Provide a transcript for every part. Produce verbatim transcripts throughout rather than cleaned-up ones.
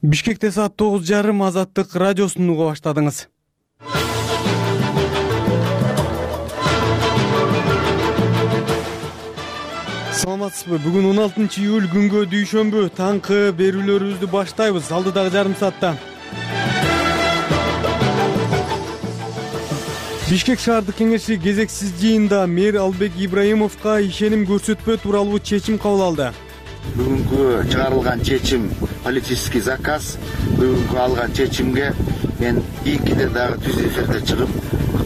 Бишкекте саат тогуз жарым Азаттык радиосун уга баштадыңыз. Саламатсызбы? Бүгүн он алтынчы июль күнгө дүйшөмбү таңкы берүүлөрүбүздү баштайбыз. Алдыдагы жарым саатта Бишкек шаардык кеңеши кезексиз жыйында мэр Албек Ибраимовго ишеним көрсөтпөө тууралуу чечим кабыл алды. Бүгүнкү чыгарылган чечим политический заказ. Бүгүнкү алган чечимге мен ийгиде дагы түз эфирде чыгып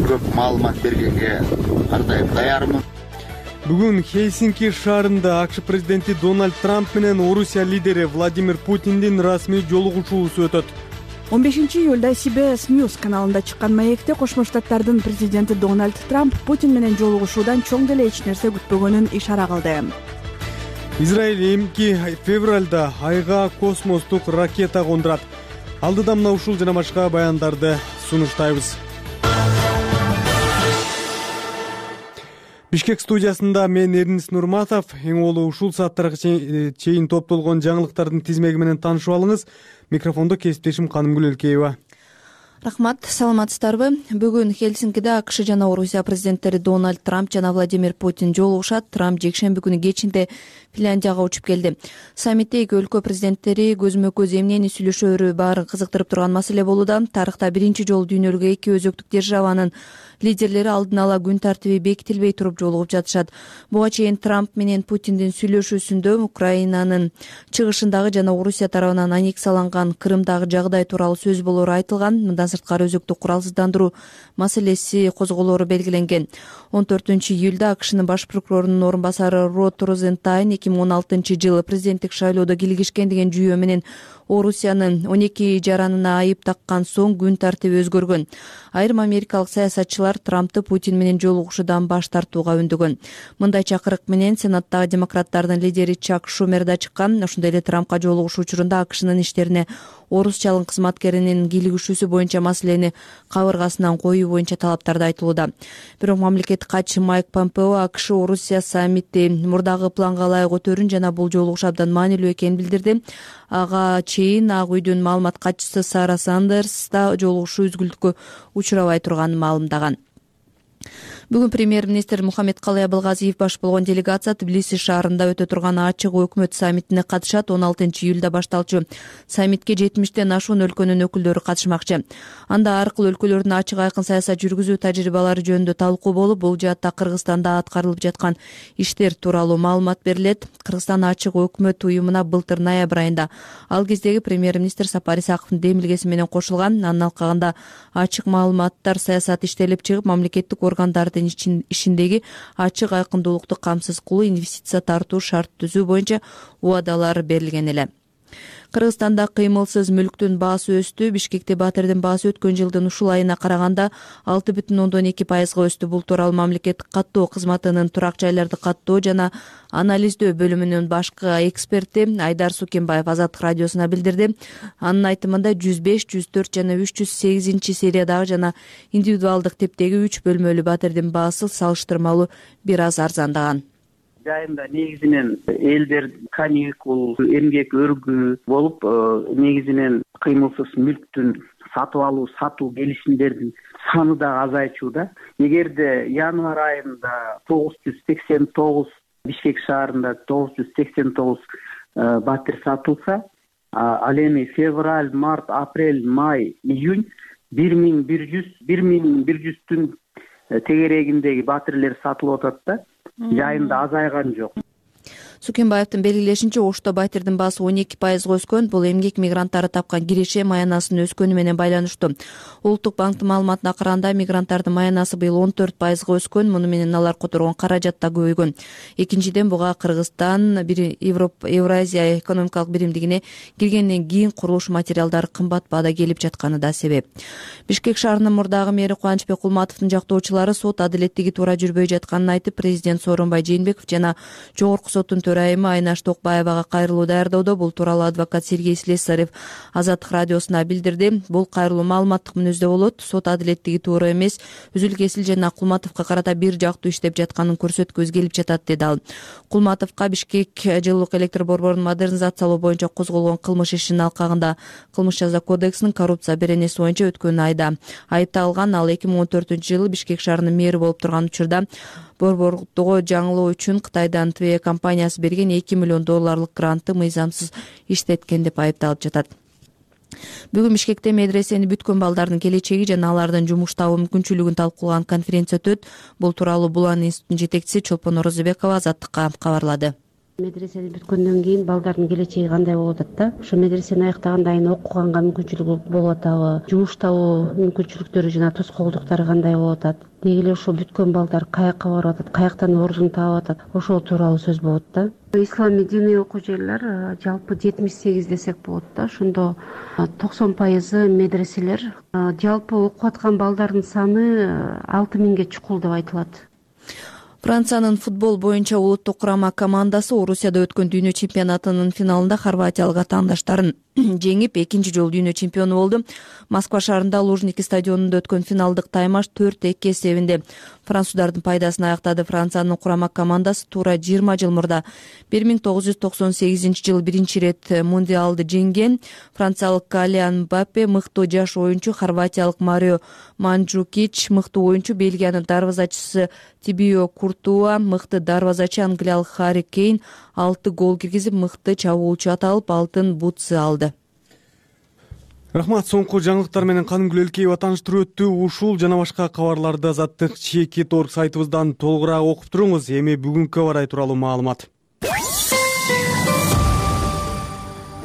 көп маалымат бергенге ардайым даярмын. Бүгүн Хельсинки шаарында АКШ президенти Дональд Трамп менен Орусия лидери Владимир Путиндин расмий жолугушуусу өтөт. он бешинчи июлда Си Би Эс News каналында чыккан маекте Кошмо Штаттардын президенти Дональд Трамп Путин менен жолугушуудан чоң деле эч нерсе күтпөгөнүн ишара кылды. Израиль эмки февралда айга космостук ракета кондурат. Алдыда мына ушул жана башка баяндарды сунуштайбыз. Бишкек студиясында мен Эрнис Нурматов. Эң олу ушул сааттарга чейин топтолгон жаңылыктардын тизмеги менен таанышып алыңыз. Микрофондо кесиптешим Канымгүл Элкеева. Рахмат, саламатсыздарбы? Бүгүн Хельсинкиде АКШ жана Орусия президенттери Дональд Трамп жана Владимир Путин жолугушат. Трамп жекшемби күнү кечинде Финляндияга учуп келди. Саммитте эки өлкө президенттери көзмө көз эмнени сүйлөшөөрү баарын кызыктырып турган маселе болууда. Тарыхта биринчи жолу дүйнөлүккө эки өзөктүк державанын лидерлери алдын ала күн тартиби бекитилбей туруп жолугуп жатышат. Буга чейин Трамп менен Путиндин сүйлөшүүсүндө Украинанын чыгышындагы жана Орусия тарабынан аннексияланган Крымдагы жагдай тууралуу сөз болоору айтылган. Мындан сырткары өзөктүк куралсыздандыруу маселеси козголоору белгиленген. он төртүнчү июлда АКШнын баш прокурорунун орун басары Род Розентайн эки миң он алтынчы жылы президенттик шайлоодо килигишкен деген жүйөө менен Орусиянын он эки жаранына айып таккан соң күн тартиби өзгөргөн. Айрым америкалык саясатчылар Трампты Путин менен жолугушуудан баш тартууга үндөгөн. Мындай чакырык менен Сенаттагы демократтардын лидери Чак Шумер да чыккан. Ошондой эле Трампка жолугушуу учурунда АКШнын иштерине орусчалык кызматкеринин кийлигишүүсү боюнча маселени кабыргасынан коюу боюнча талаптарды айтылууда. Бирок мамлекеттик катчы Майк Помпео АКШ Орусия саммити мурдагы планга ылайык өтөрүн жана бул жолугушуу абдан маанилүү экенин билдирди. Ага чейин Ак үйдүн маалымат катчысы Сара Сандерс да жолугушуу үзгүлтүккө учурабай турганын маалымдаган. Бүгүн премьер-министр Мухаммедкалый Абылгазиев баш болгон делегация Тбилиси шаарында өтө турган ачык өкмөт саммитине катышат. он алтынчы июлда башталчу саммитке жетимиштен ашуун өлкөнүн өкүлдөрү катышмакчы. Анда ар кыл өлкөлөрдүн ачык айкын саясат жүргүзүү тажрыйбалары жөнүндө талкуу болуп, бул жаатта Кыргызстанда аткарылып жаткан иштер тууралуу маалымат берилет. Кыргызстан ачык өкмөт уюмуна былтыр ноябрь айында ал кездеги премьер-министр Сапар Исаковдун демилгеси менен кошулган. Анын алкагында ачык маалыматтар саясаты иштелип чыгып, мамлекеттик органдардын ишиндеги ачык айкындуулукту камсыз кылуу, инвестиция тартуу шарт түзүү боюнча убадалар берилген эле. Кыргызстанда кыймылсыз мүлктүн баасы өстү. Бишкекте батирдин баасы өткөн жылдын ушул айына караганда алты бүтүн ондон эки пайызга өстү. Бул тууралуу мамлекеттик каттоо кызматынын турак жайларды каттоо жана анализдөө бөлүмүнүн башкы эксперти Айдар Сукенбаев Азаттык радиосуна билдирди. Анын айтымында жүз беш, жүз төрт жана үч жүз сегизинчи сериядагы жана индивидуалдык типтеги үч бөлмөлүү батирдин баасы салыштырмалуу бир аз арзандаган. Жайында негизинен элдер каникул, эмгек өргүү болуп, негизинен кыймылсыз мүлктүн сатып алуу, сатуу келишимдердин саны да азайчууда. Эгерде январь айында тогуз жүз сексен тогуз, Бишкек шаарында тогуз жүз сексен тогуз батир сатылса, ал эми февраль, март, апрель, май, июнь бир миң бир жүз, бир миң бир жүздүн тегерегиндеги батирлер сатылып атат да. Жайында азайган жок. Сукенбаевдин белгилешинче, Ошто батирдин баасы он эки пайызга өскөн. Бул эмгек мигранттары тапкан киреше маянасынын өскөнү менен байланыштуу. Улуттук банктын маалыматына караганда, мигранттардын маянасы быйыл он төрт пайызга өскөн. Муну менен алар которгон каражат да көбөйгөн. Экинчиден, буга Кыргызстан Европа Евразия экономикалык биримдигине киргенден кийин курулуш материалдары кымбат баада келип жатканы да себеп. Бишкек шаарынын мурдагы мэри Кубанычбек Кулматовдун жактоочулары сот адилеттиги туура жүрбөй жатканын айтып, президент Сооронбай Жээнбеков жана жогорку соттун төрайымы Айнаш Токбаевага кайрылуу даярдоодо. Бул тууралуу адвокат Сергей Слесарев Азаттык радиосуна билдирди. Бул кайрылуу маалыматтык мүнөздө болот. Сот адилеттиги туура эмес, Үзүл Кесил жана Кулматовго карата бир жактуу иштеп жатканын көрсөткүбүз келип жатат, деди ал. Кулматовго Бишкек жылуулук электр борборун модернизациялоо боюнча козголгон кылмыш ишинин алкагында кылмыш жаза кодексинин коррупция беренеси боюнча өткөн айда айыпталган. Ал эки миң он төртүнчү жылы Бишкек шаарынын мэри болуп турган учурда борбордугу жаңылоо үчүн Кытайдан Тве компаниясы берген эки миллион долларлык грантты мыйзамсыз иштеткен деп айыпталып жатат. Бүгүн Бишкекте медресени бүткөн балдардын келечеги жана алардын жумуш табуу мүмкүнчүлүгүн талкуулаган конференция өтөт. Бул тууралуу Булан институтунун жетекчиси Чолпон Орозобекова Азаттыкка кабарлады. Медресени бүткөндөн кийин балдардын келечеги кандай болуп атат да? Ошо медресени аяктагандан кийин окуганга мүмкүнчүлүгү болуп атабы? Жумуш табуу мүмкүнчүлүктөрү жана тоскоолдуктары кандай болуп атат? Деги эле ошо бүткөн балдар каяка барып атат, каяктан ордун таап атат? Ошол тууралуу сөз болот да. Исламий диний окуу жерлер жалпы жетимиш сегиз десек болот да. Ошондо токсон пайызы медреселер. Жалпы окуп аткан балдардын саны алты миңге чукул деп айтылат. Франциянын футбол боюнча улуттук курама командасы Орусияда өткөн дүйнө чемпионатынын финалында хорватиялык атаандаштарын жеңип экинчи жолу дүйнө чемпиону болду. Москва шаарында Лужники стадионунда өткөн финалдык таймаш төрт эки эсебинде француздардын пайдасына аяктады. Франциянын курама командасы туура жыйырма жыл мурда бир миң тогуз жүз токсон сегизинчи жылы биринчи ирет мундиалды жеңген. Франциялык Калиан Мбаппе мыктуу жаш оюнчу, хорватиялык Марио Манджукич мыктуу оюнчу, Бельгиянын дарбазачысы Тибио Куртуа мыкты дарбазачы, англиялык Харри Кейн алты гол киргизип мыкты чабуучу аталып алтын бутсы алды. Рахмат. Соңку жаңылыктар менен Канымгүл Элкеева тааныштырып өттү. Ушул жана башка кабарларды Азаттык чекит орг сайтыбыздан толугураак окуп туруңуз. Эми бүгүнкү аба ырайы тууралуу маалымат.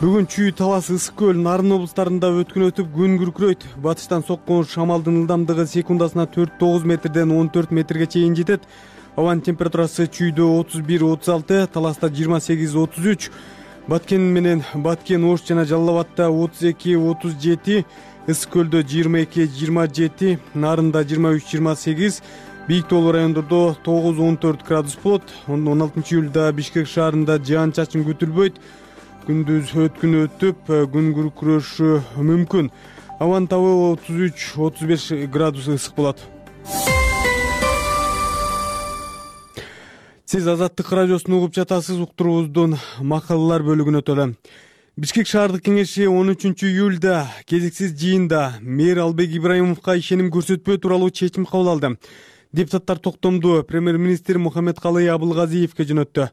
Бүгүн Чүй, Талас, Ысык көл, Нарын облустарында өткүн өтүп күн күркүрөйт. Батыштан соккон шамалдын ылдамдыгы секундасына төрт тогуз метрден он төрт метрге чейин жетет. Абанын температурасы Чүйдө отуз бир отуз алты, Таласта жыйырма сегиз отуз үч, Баткен менен Баткен, Ош жана Жалал Абадта отуз эки отуз жети, Ысык көлдө жыйырма эки жыйырма жети, Нарында жыйырма үч жыйырма сегиз, Бийик тоолуу райондордо тогуз он төрт градус болот. он алтынчы июлда Бишкек шаарында жаан-чачын күтүлбөйт. Күндүз өткүн өтүп, күн күркүрөшү мүмкүн. Абанын табы отуз үч отуз беш градус ысык болот. Сиз Азаттык радиосун угуп жатасыз. Уктуруубуздун макалалар бөлүгүнө өтөлү. Бишкек шаардык кеңеши он үчүнчү июлда кезексиз жыйында мэр Албек Ибраимовго ишеним көрсөтпөө тууралуу чечим кабыл алды. Депутаттар токтомду премьер-министр Мухаммедкалый Абылгазиевге жөнөттү.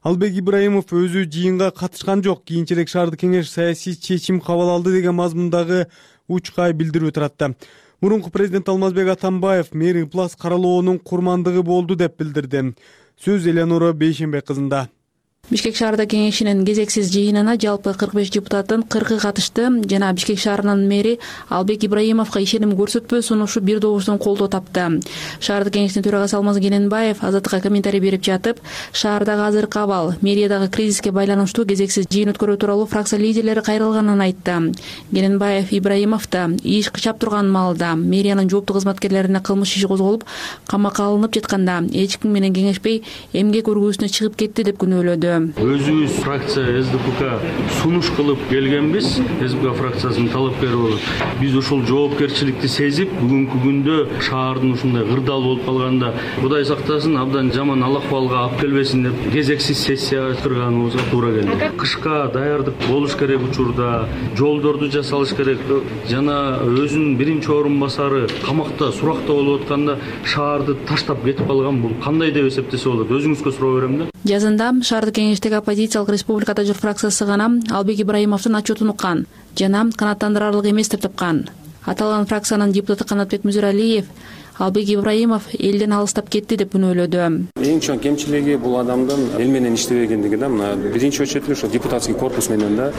Албек Ибраимов өзү жыйынга катышкан жок. Кийинчерээк шаардык кеңеш саясий чечим кабыл алды деген мазмундагы учкай билдирүү таратты. Мурунку президент Алмазбек Атамбаев мэр ыплас каралоонун курмандыгы болду деп билдирди. Сөз Элеонора Бейшенбек кызында. Бишкек шаардык кеңешинин кезексиз жыйынына жалпы кырк беш депутаттын кыркы катышты жана Бишкек шаарынын мэри Албек Ибраимовго ишеним көрсөтпөө сунушу бир добуштан колдоо тапты. Шаардык кеңештин төрагасы Алмаз Кененбаев Азаттыкка комментарий берип жатып, шаардагы азыркы абал, мэриядагы кризиске байланыштуу кезексиз жыйын өткөрүү тууралуу фракция лидерлери кайрылганын айтты. Кененбаев Ибраимовду иш кычап турган маалда мэриянын жооптуу кызматкерлерине кылмыш иши козголуп, камакка алынып жатканда эч ким менен кеңешпей эмгек өргүүсүнө чыгып кетти деп күнөөлөдү. Өзүбүз фракция эс дэ пэ ка сунуш кылып келгенбиз. эс дэ пэ ка фракциясынын талапкери болуп, биз ушул жоопкерчиликти сезип, бүгүнкү күндө шаардын ушундай кырдаал болуп калганда Кудай сактасын, абдан жаман ал акыбалга алып келбесин деп кезексиз сессия өткөргөнүбүзгө туура келди. Кышка даярдык болуш керек учурда, жолдорду жасалыш керек жана өзүнүн биринчи орун басары камакта, суракта болуп атканда шаарды таштап кетип калган. Бул кандай деп эсептесе болот? Өзүңүзгө суроо берем да. Жазында шаардык кеңештеги оппозициялык республикада жүр фракциясы гана Албек Ибраимовдун отчетун уккан жана канааттандырарлык эмес деп тапкан. Аталган фракциянын депутаты Канатбек Музиралиев Албек Ибраимов элден алыстап кетти деп күнөөлөдү. Эң чоң кемчилиги бул адамдын эл менен иштебегендиги да. Мына биринчи очередь ошо депутатский корпус менен да.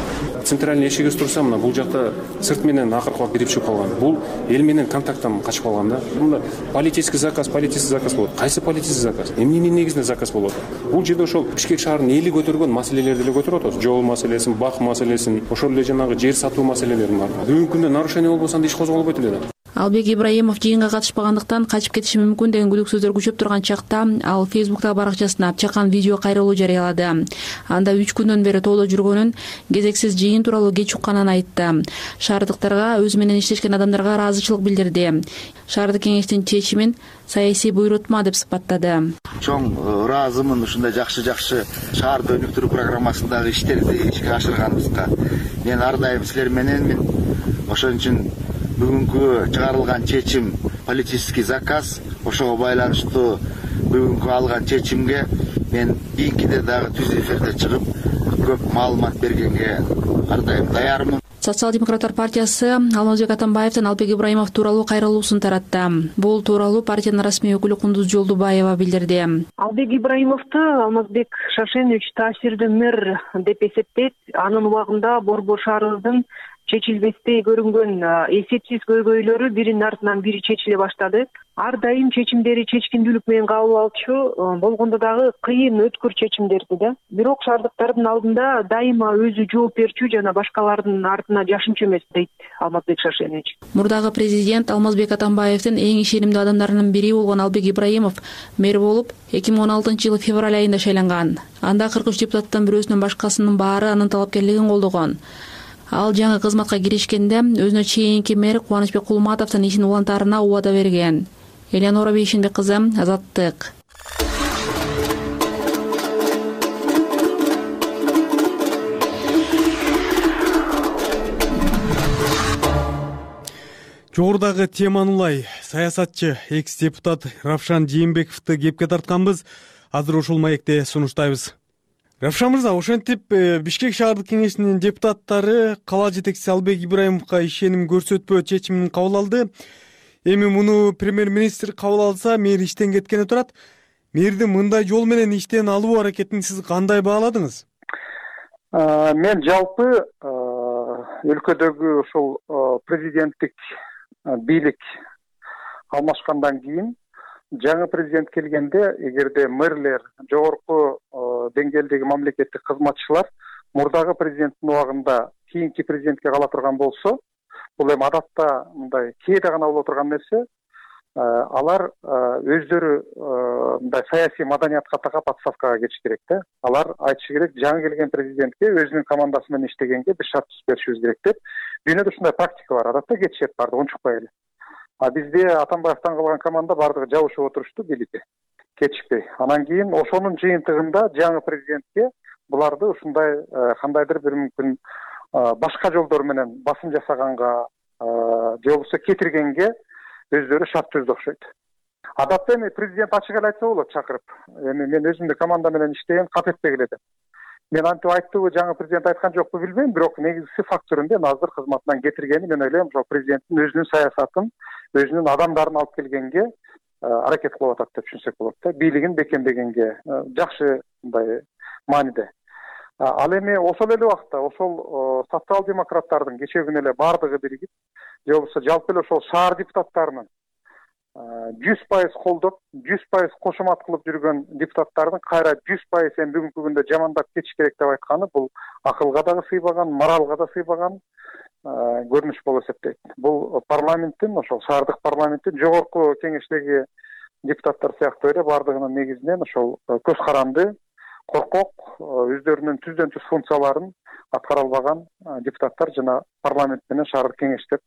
Центральный эшигиз турса, мына бул жакта сырт менен акыркы кирип чыгып калган. Бул эл менен контакттан качып калган да. Мында политический заказ, политический заказ болот. Кайсы политический заказ? Эмненин негизинде заказ болот? Бул жерде ошол Бишкек шаарынын эли көтөргөн маселелерди эле көтөрүп атат. Жол маселесин, бак маселесин, ошол эле жанагы жер сатуу маселелерин бар. Бүгүнкү күндө нарушение болбосо анда иш козголбойт эле да. Албек Ибраимов жыйынга катышпагандыктан качып кетиши мүмкүн деген күдүк сөздөр күчөп турган чакта ал Фейсбуктагы баракчасына чакан видео кайрылуу жарыялады. Анда үч күндөн бери тоодо жүргөнүн, кезексиз жыйын тууралуу кеч укканын айтты. Шаардыктарга өзү менен иштешкен адамдарга ыраазычылык билдирди. Шаардык кеңештин чечимин саясий буйрутма деп сыпаттады. Чоң ыраазымын ушундай жакшы жакшы шаарды өнүктүрүү программасындагы иштерди ишке ашырганыбызга. Мен ар дайым силер мененмин. Ошон үчүн бүгүнкү чыгарылган чечим политический заказ. Ошого байланыштуу бүгүнкү алган чечимге мен кийинкиде дагы түз эфирде чыгып көп маалымат бергенге ар дайым даярмын. Социал-демократтар партиясы Алмазбек Атамбаевдин Албек Ибраимов тууралуу кайрылуусун таратты. Бул тууралуу партиянын расмий өкүлү Кундуз Жолдубаева билдирди. Албек Ибраимовду Алмазбек Шашенович таасирдүү мэр деп эсептейт. Анын убагында Борбор шаарыбыздын чечилбестей көрүнгөн эсепсиз көйгөйлөрү биринин артынан бири чечиле баштады. Ар дайым чечимдери чечкиндүүлүк менен кабыл алчу, болгондо дагы кыйын өткүр чечимдерди да. Бирок шаардыктардын алдында дайыма өзү жооп берчү жана башкалардын артына жашынчу эмес дейт Алмазбек Шашенович. Мурдагы президент Алмазбек Атамбаевдин эң ишенимдүү адамдарынын бири болгон Албек Ибраимов мэр болуп эки миң он алтынчы жылы февраль айында шайланган. Анда кырк үч депутаттын бирөөсүнөн башкасынын баары анын талапкерлигин колдогон. Ал жаңы кызматка киришкенде өзүнө чейинки мэр Кубанычбек Кулматовдун ишин улантаарына убада берген. Элеонора Бейшенбек кызы, Азаттык. Жогорудагы теманы улай саясатчы экс-депутат Равшан Жээнбековду кепке тартканбыз. Азыр ушул маекте сунуштайбыз. Равшан мырза, ошентип Бишкек шаардык кеңешинин депутаттары кала жетекчиси Албек Ибраимовго ишеним көрсөтпөө чечимин кабыл алды. Эми муну премьер-министр кабыл алса, мэр иштен кеткени турат. Мэрдин мындай жол менен иштен алуу аракетин сиз кандай бааладыңыз? Мен жалпы өлкөдөгү ушул президенттик бийлик алмашкандан кийин жаңы президент келгенде, эгерде мэрлер, жогорку деңгээлдеги мамлекеттик кызматчылар мурдагы президенттин убагында кийинки президентке кала турган болсо, бул эми адатта мындай кээде гана боло турган нерсе, алар өздөрү мындай саясий маданиятка такап отставкага кетиш керек да. Алар айтышы керек, жаңы келген президентке өзүнүн командасы менен иштегенге биз шарт түзүп беришибиз керек деп. Дүйнөдө ушундай практика бар. Адатта кетишет барды унчукпай эле. А бизде Атамбаевден калган команда бардыгы жабышып отурушту бийликти, кетишпей. Анан кийин ошонун жыйынтыгында жаңы президентке буларды ушундай кандайдыр бир мүмкүн башка жолдор менен басым жасаганга же болбосо кетиргенге өздөрү шарт түздү окшойт. Адатта эми президент ачык эле айтса болот, чакырып. Эми мен өзүмдүн команда менен иштеген, кап этпегиле деп. Мен антип айттыбы, жаңы президент айткан жокпу билбейм, бирок негизгиси фактурунда азыр кызматынан кетиргени мен ойлойм, ошол президенттин өзүнүн саясатын, өзүнүн адамдарын алып келгенге аракет кылып атат деп түшүнсөк болот да. Бийлигин бекемдегенге жакшы мындай мааниде. Ал эми ошол эле убакта ошол социал-демократтардын кечээ күнү эле бардыгы биригип, же болбосо жалпы эле ошол шаар депутаттарынын жүз пайыз колдоп, жүз пайыз кошумат кылып жүргөн депутаттардын кайра жүз пайыз эми бүгүнкү күндө жамандап кетиш керек деп айтканы бул акылга дагы сыйбаган, моралга да сыйбаган көрүнүш болуп эсептейт. Бул парламенттин, ошол шаардык парламенттин жогорку кеңештеги депутаттар сыяктуу эле бардыгынын негизинен ошол көз каранды, коркок, өздөрүнүн түздөн түз функцияларын аткара албаган депутаттар жана парламент менен шаардык кеңеш деп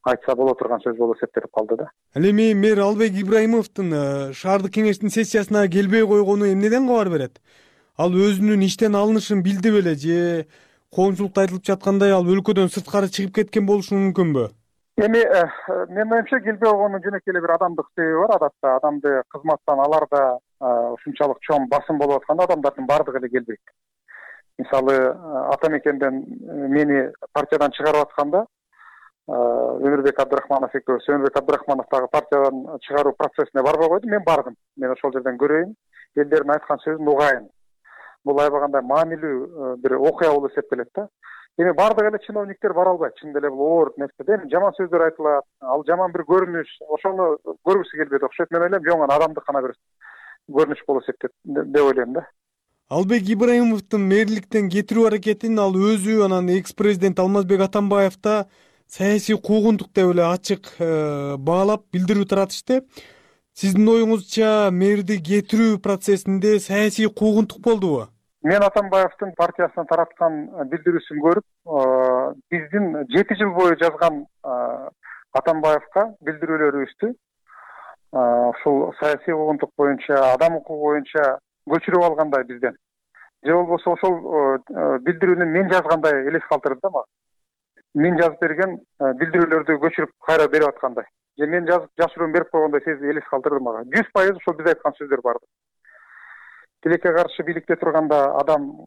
айтса боло турган сөз болуп эсептелип калды да. Ал эми мэр Албек Ибраимовдун шаардык кеңештин сессиясына келбей койгону эмнеден кабар берет? Ал өзүнүн иштен алынышын билди беле же коомчулукта айтылып жаткандай ал өлкөдөн сырткары чыгып кеткен болушу мүмкүнбү? Эми менин оюмча келбей койгонун жөнөкөй эле бир адамдык себеби бар. Адатта адамды кызматтан аларда ушунчалык чоң басым болуп атканда адамдардын бардыгы эле келбейт. Мисалы, ата мекенден мени партиядан чыгарып атканда Өмүрбек Абдрахманов экөөбүз, Өмүрбек Абдрахманов дагы партиядан чыгаруу процессине барбай койду. Мен бардым. Мен ошол жерден көрөйүн, элдердин айткан сөзүн угайын. Бул аябагандай маанилүү бир окуя болуп эсептелет да. Эми бардык эле чиновниктер бара албайт. Чынында эле бул оор нерсе. Эми жаман сөздөр айтылат, ал жаман бир көрүнүш, ошону көргүсү келбейт окшойт. Мен ойлойм, жоң гана адамдык гана бир көрүнүш болуп эсептейт деп ойлойм да. Албек Ибраимовдун мэрликтен кетирүү аракетин ал өзү, анан экс-президент Алмазбек Атамбаев да саясий куугунтук деп эле ачык баалап билдирүү таратышты. Сиздин оюңузча мэрди кетирүү процессинде саясий куугунтук болдубу? Мен Атамбаевдин партиясынан тараткан билдирүүсүн көрүп, биздин жети жыл бою жазган Атамбаевга билдирүүлөрүбүздү ушул саясий куугунтук боюнча, адам укугу боюнча көчүрүп алгандай бизден. Же болбосо ошол билдирүүнү мен жазгандай элес калтырды да мага. Мен жазып берген билдирүүлөрдү көчүрүп кайра берип аткандай. Же мен жазып жашыруун берип койгондой сезип элес калтырды мага. жүз пайыз ошол биз айткан сөздөр барды. Тилекке каршы бийликте турганда адам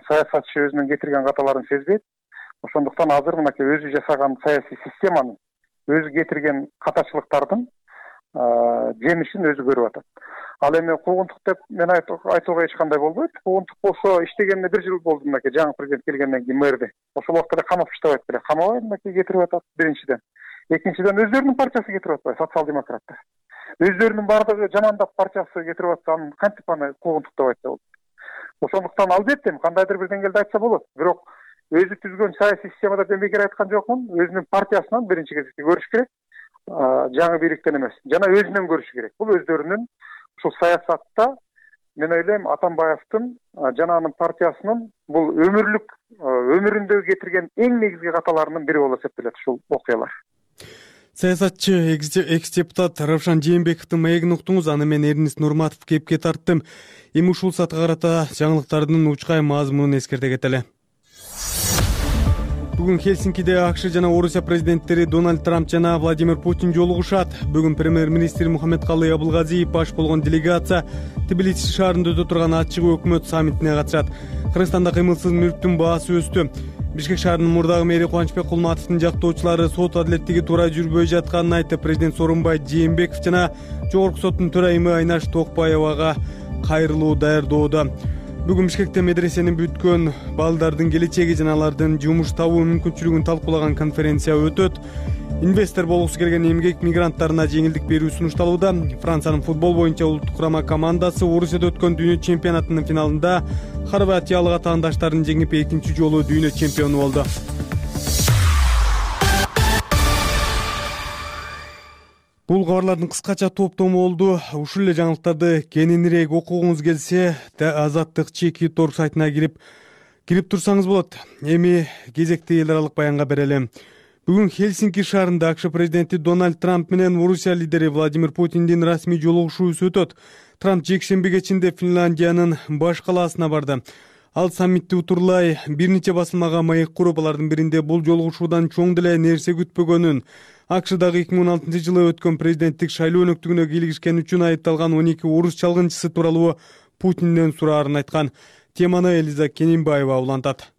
саясатчы өзүнүн кетирген каталарын сезбейт. Ошондуктан азыр мынакей өзү жасаган саясий системанын, өзү кетирген катачылыктардын жемишин өзү көрүп атат. Ал эми куугунтук деп мен айтууга эч кандай болбойт. Куугунтук болсо иштегенине бир жыл болду мынакей жаңы президент келгенден кийин мэрди. Ошол убакта камап иштебайт беле. Камабай мынакей кетирип атат биринчиден. Экинчиден өздөрүнүн партиясы кетирип атпайбы, социал-демократтар. Өздөрүнүн баардыгы жамандап партиясы кетирип атса, аны кантип аны куугунтук деп айтса болот. Ошондуктан албетте кандайдыр бир деңгээлде айтса болот. Бирок өзү түзгөн саясий системада мен бекер айткан жокмун. Өзүнүн партиясынан биринчи кезекте көрүш керек. Жаңы бийликтен эмес, жана өзүнөн көрүш керек. Бул өздөрүнүн ушул саясатта мен ойлойм Атамбаевдин жана анын партиясынын бул өмүрлүк өмүрүндө кетирген эң негизги каталарынын бири болуп эсептелет ушул окуялар. Саясатчы экс-депутат Равшан Жээнбековдун маегин уктуңуз. Аны мен Эрнис Нурматов кепке тарттым. Эми ушул саатка карата жаңылыктардын учкай мазмунун эскерте кетели. Бүгүн Хельсинкиде АКШ жана Орусия президенттери Дональд Трамп жана Владимир Путин жолугушат. Бүгүн премьер-министр Мухаммедкалый Абылгазиев баш болгон делегация Тбилиси шаарында өтө турган ачык өкмөт саммитине катышат. Кыргызстанда кыймылсыз мүлктүн баасы өстү. Бишкек шаарынын мурдагы мэри Кубанычбек Кулматовдун жактоочулары сот адилеттиги туура жүрбөй жатканын айтып, президент Сооронбай Жээнбеков жана Жогорку соттун төрайымы Айнаш Токпаевага кайрылуу даярдоодо. Бүгүн Бишкекте медресенин бүткөн балдардын келечеги жана алардын жумуш табуу мүмкүнчүлүгүн талкуулаган конференция өтөт. Инвестор болгусу келген эмгек мигранттарына жеңилдик берүү сунушталууда. Франциянын футбол боюнча улуттук курама командасы Орусияда өткөн дүйнө чемпионатынын финалында хорватиялык атаандаштарын жеңип экинчи жолу дүйнө чемпиону болду. Бул кабарлардын кыскача топтому болду. Ушул эле жаңылыктарды кененирээк окугуңуз келсе, Азаттык чеки точка орг сайтына кирип кирип турсаңыз болот. Эми кезекти эл аралык баянга берели. Бүгүн Хельсинки шаарында АКШ президенти Дональд Трамп менен Орусия лидери Владимир Путиндин расмий жолугушуусу өтөт. Трамп жекшемби кечинде Финляндиянын баш калаасына барды. Ал саммитти утурлай бир нече басылмага маек куруп, алардын биринде бул жолугушуудан чоң деле нерсе күтпөгөнүн, АКШдагы эки миң он алтынчы жылы өткөн президенттик шайлоо өнөктүгүнө кийлигишкен үчүн айыпталган он эки орус чалгынчысы тууралуу Путинден сураарын айткан. Теманы Элиза Кененбаева улантат.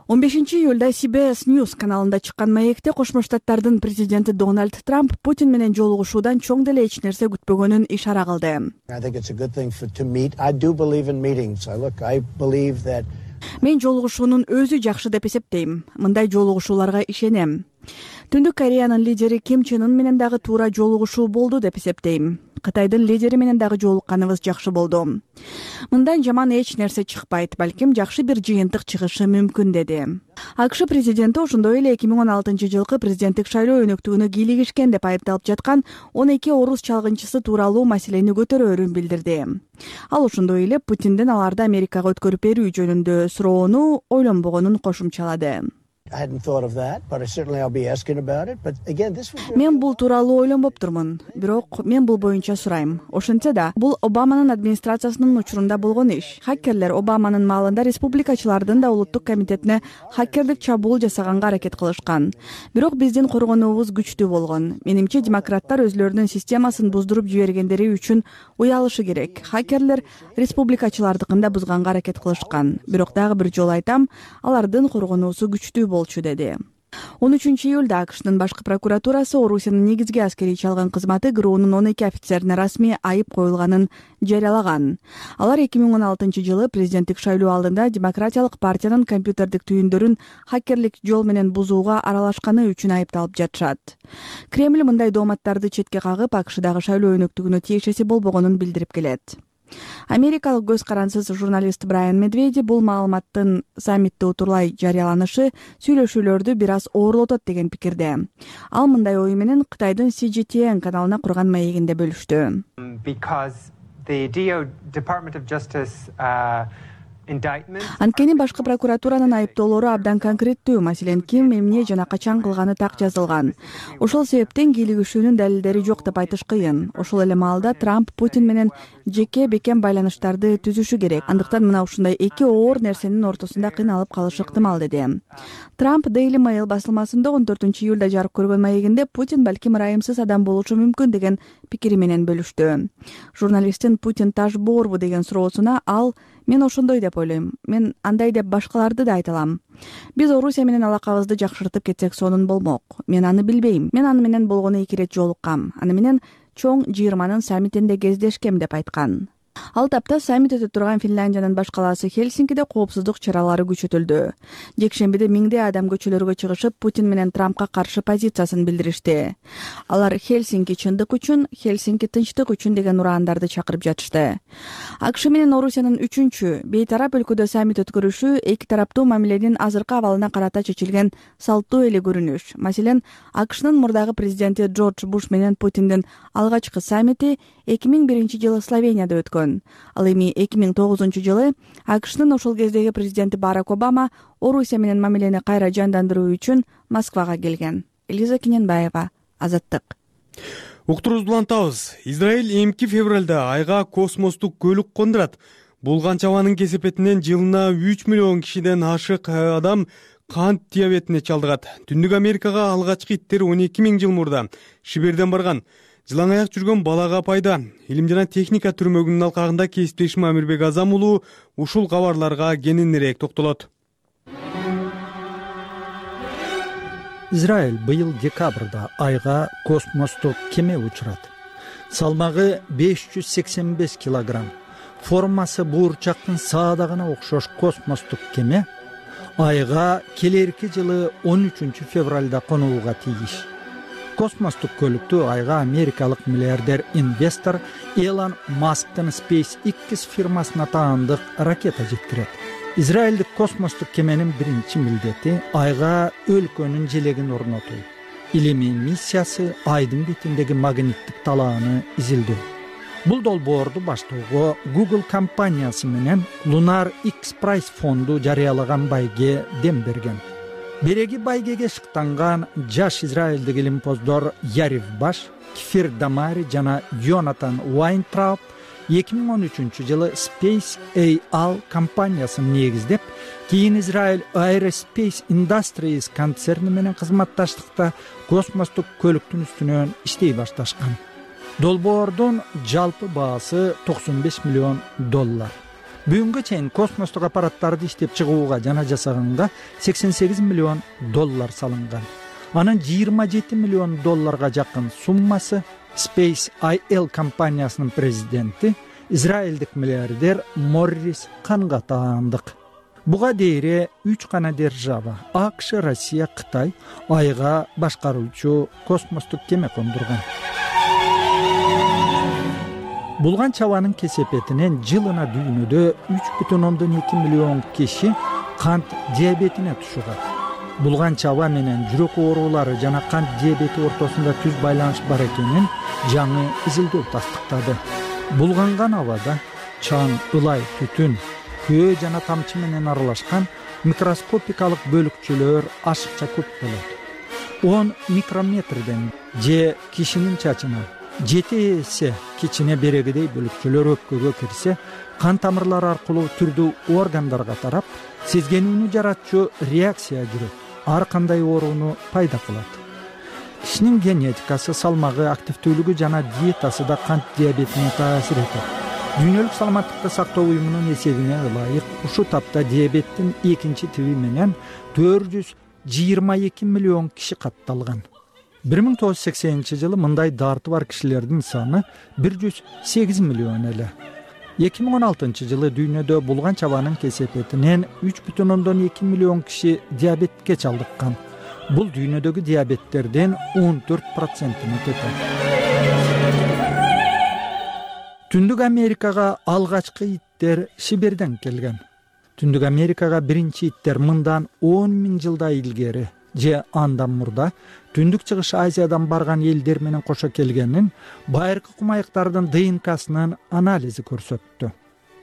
он бешинчи июлда си би эс News каналында чыккан маекте Кошмо Штаттардын президенти Дональд Трамп Путин менен жолугушуудан чоң деле эч нерсе күтпөгөнүн ишара кылды. Мен жолугушуунун өзү жакшы деп эсептейм. Мындай жолугушууларга ишенем. Түндүк Кореянын лидери Ким Чен Ын менен дагы туура жолугушуу болду деп эсептейм. Кытайдын лидери менен дагы жолукканыбыз жакшы болду. Мындан жаман эч нерсе чыкпайт, балким жакшы бир жыйынтык чыгышы мүмкүн, деди. АКШ президенти ошондой эле эки миң он алтынчы жылкы президенттик шайлоо өнөктүгүнө кийлигишкен деп айыпталып жаткан он эки орус чалгынчысы тууралуу маселени көтөрөөрүн билдирди. Ал ошондой эле Путиндин аларды Америкага өткөрүп берүү жөнүндө суроону ойлонбогонун кошумчалады. Мен бул тууралуу ойлонбоптурмун, бирок мен бул боюнча сурайм. Ошентсе да, бул Обаманын администрациясынын учурунда болгон иш. Хакерлер Обаманын маалында республикачылардын да улуттук комитетине хакердик чабуул жасаганга аракет кылышкан. Бирок биздин коргонуубуз күчтүү болгон. Менимче демократтар өзлөрүнүн системасын буздуруп жибергендери үчүн уялышы керек. Хакерлер республикачылардыкын да бузганга аракет кылышкан. Бирок дагы бир жолу айтам, алардын коргонуусу күчтүү болчу, деди. он үчүнчү июлда АКШтын башкы прокуратурасы Орусиянын негизги аскерий чалган кызматы ГРУнун он эки офицерине расмий айып коюлганын жарыялаган. Алар эки миң он алтынчы жылы президенттик шайлоо алдында Демократиялык партиянын компьютердик түйүндөрүн хакерлик жол менен бузууга аралашканы үчүн айыпталып жатышат. Кремль мындай дооматтарды четке кагып, АКШдагы шайлоо өнөктүгүнө тиешеси болбогонун билдирип келет. Америкалык көз карансыз журналист Брайан Медведи бул маалыматтын саммитте утурлай жарыяланышы сүйлөшүүлөрдү бир аз оорлотот деген пикирде. Ал мындай ою менен Кытайдын си джи ти эн каналына курган маегинде бөлүштү. Анткени башкы прокуратуранын айыптоолору абдан конкреттүү, маселен, ким эмне жана качан кылганы так жазылган. Ошол себептен кийлигишүүнүн далилдери жок деп айтыш кыйын. Ошол эле маалда Трамп Путин менен жеке бекем байланыштарды түзүшү керек. Андыктан мына ушундай эки оор нерсенин ортосунда кыйналып калышы ыктымал деди. Трамп Daily Mail басылмасында он төртүнчү июлда жарык көргөн маегинде Путин балким ырайымсыз адам болушу мүмкүн деген пикири менен бөлүштү. Журналисттин Путин таш боорбу деген суроосуна ал: "Мен ошондой деп ойлойм. Мен андай деп башкаларды да айта алам. Биз Орусия менен алакабызды жакшыртып кетсек сонун болмок. Мен аны билбейм. Мен аны менен болгону эки ирет жолуккам. Аны менен чоң жыйырманын саммитинде кездешкем" деп айткан. Ал тапта саммит өтүп турган Финляндиянын баш калаасы Хельсинкиде коопсуздук чаралары күчөтүлдү. Жекшембиде миңдей адам көчөлөргө чыгышып, Путин менен Трампка каршы позициясын билдиришти. Алар Хельсинки чындык үчүн, Хельсинки тынчтык үчүн деген ураандарды чакырып жатышты. АКШ менен Орусиянын үчүнчү бейтарап өлкөдө саммит өткөрүшү эки тараптуу мамиленин азыркы абалына карата чечилген салттуу эле көрүнүш. Маселен, АКШнын мурдагы президенти Джордж Буш менен Путиндин алгачкы саммити эки миң биринчи жылы Словенияда өткөн. Ал эми эки миң тогузунчу жылы АКШнын ошол кездеги президенти Барак Обама Орусия менен мамилени кайра жандандыруу үчүн Москвага келген. Элиза Кененбаева, Азаттык. Уктуруубузду улантабыз. Израиль эмки февралда айга космостук көлүк кондурат. Булган чабанын кесепетинен жылына үч миллион кишиден ашык адам кант диабетине чалдыгат. Түндүк Америкага алгачкы иттер он эки миң жыл мурда Шиберден барган. Жылаң аяк жүргөн балага пайда. Илим жана техника түрмөгүнүн алкагында кесиптешим Амирбек Азам уулу ушул кабарларга кененирээк токтолот. Израиль быйыл декабрда айга космостук кеме учурат. Салмагы беш жүз сексен беш килограмм. Формасы буурчактын саадагына окшош космостук кеме айга келерки жылы он үчүнчү февралда конууга тийиш. Космостук көлүктү айга америкалык миллиардер инвестор Элон Масктын SpaceX фирмасына таандык ракета жеткирет. Израилдик космостук кеменин биринчи милдети айга өлкөнүн желегин орнотуу. Илимий миссиясы айдын бетиндеги магниттик талааны изилдөө. Бул долбоорду баштоого Google компаниясы менен Lunar X Prize фонду жарыялаган байге дем берген. Береги байгеге шыктанган жаш израилдик илимпоздор Ярив Баш, Кифир Дамари жана Йонатан Уайнтрауп эки миң он үчүнчү жылы Space A L компаниясын негиздеп, кийин Израиль Aerospace Industries концерни менен кызматташтыкта космостук көлүктүн үстүнөн иштей башташкан. Долбоордун жалпы баасы токсон беш миллион доллар. Бүгүнгө чейин космостук аппараттарды иштеп чыгууга жана жасаганга сексен сегиз миллион доллар салынган. Анын жыйырма жети миллион долларга жакын суммасы Space I L компаниясынын президенти израилдик миллиардер Моррис Канга таандык. Буга дейре үч гана держава АКШ, Россия, Кытай айга башкаруучу космостук кеме кондурган. Булган чабанын кесепетинен жылына дүйнөдө үч бүтүн ондон эки миллион киши кант диабетине тушугат. Булган чаба менен жүрөк оорулары жана кант диабети ортосунда түз байланыш бар экенин жаңы изилдөө тастыктады. Булганган абада чаң, ылай, түтүн, көө жана тамчы менен аралашкан микроскопикалык бөлүкчөлөр ашыкча көп болот. он микрометрден же кишинин чачынан жети эсе кичине берегидей бөлүкчөлөр өпкөгө кирсе, кан тамырлары аркылуу түрдүү органдарга тарап, сезгенүүнү жаратчу реакция жүрөт. Ар кандай ооруну пайда кылат. Кишинин генетикасы, салмагы, активдүүлүгү жана диетасы да кант диабетине таасир этет. Дүйнөлүк саламаттыкты сактоо уюмунун эсебине ылайык ушул тапта диабеттин экинчи тиби менен төрт жүз жыйырма эки миллион киши катталган. бир миң тогуз жүз сексенинчи жылы мындай дарты бар кишилердин саны бир жүз сегиз миллион эле. эки миң он алтынчы жылы дүйнөдө булган чабанын кесепетинен үч бүтүн ондон эки миллион киши диабетке чалдыккан. Бул дүйнөдөгү диабеттерден он төрт процентин этет. Түндүк Америкага алгачкы иттер Сибирден келген. Түндүк Америкага биринчи иттер мындан он миң жылда илгери же андан мурда Түндүк Чыгыш Азиядан барган элдер менен кошо келгенин байыркы кумаяктардын ДНКсынын анализи көрсөттү.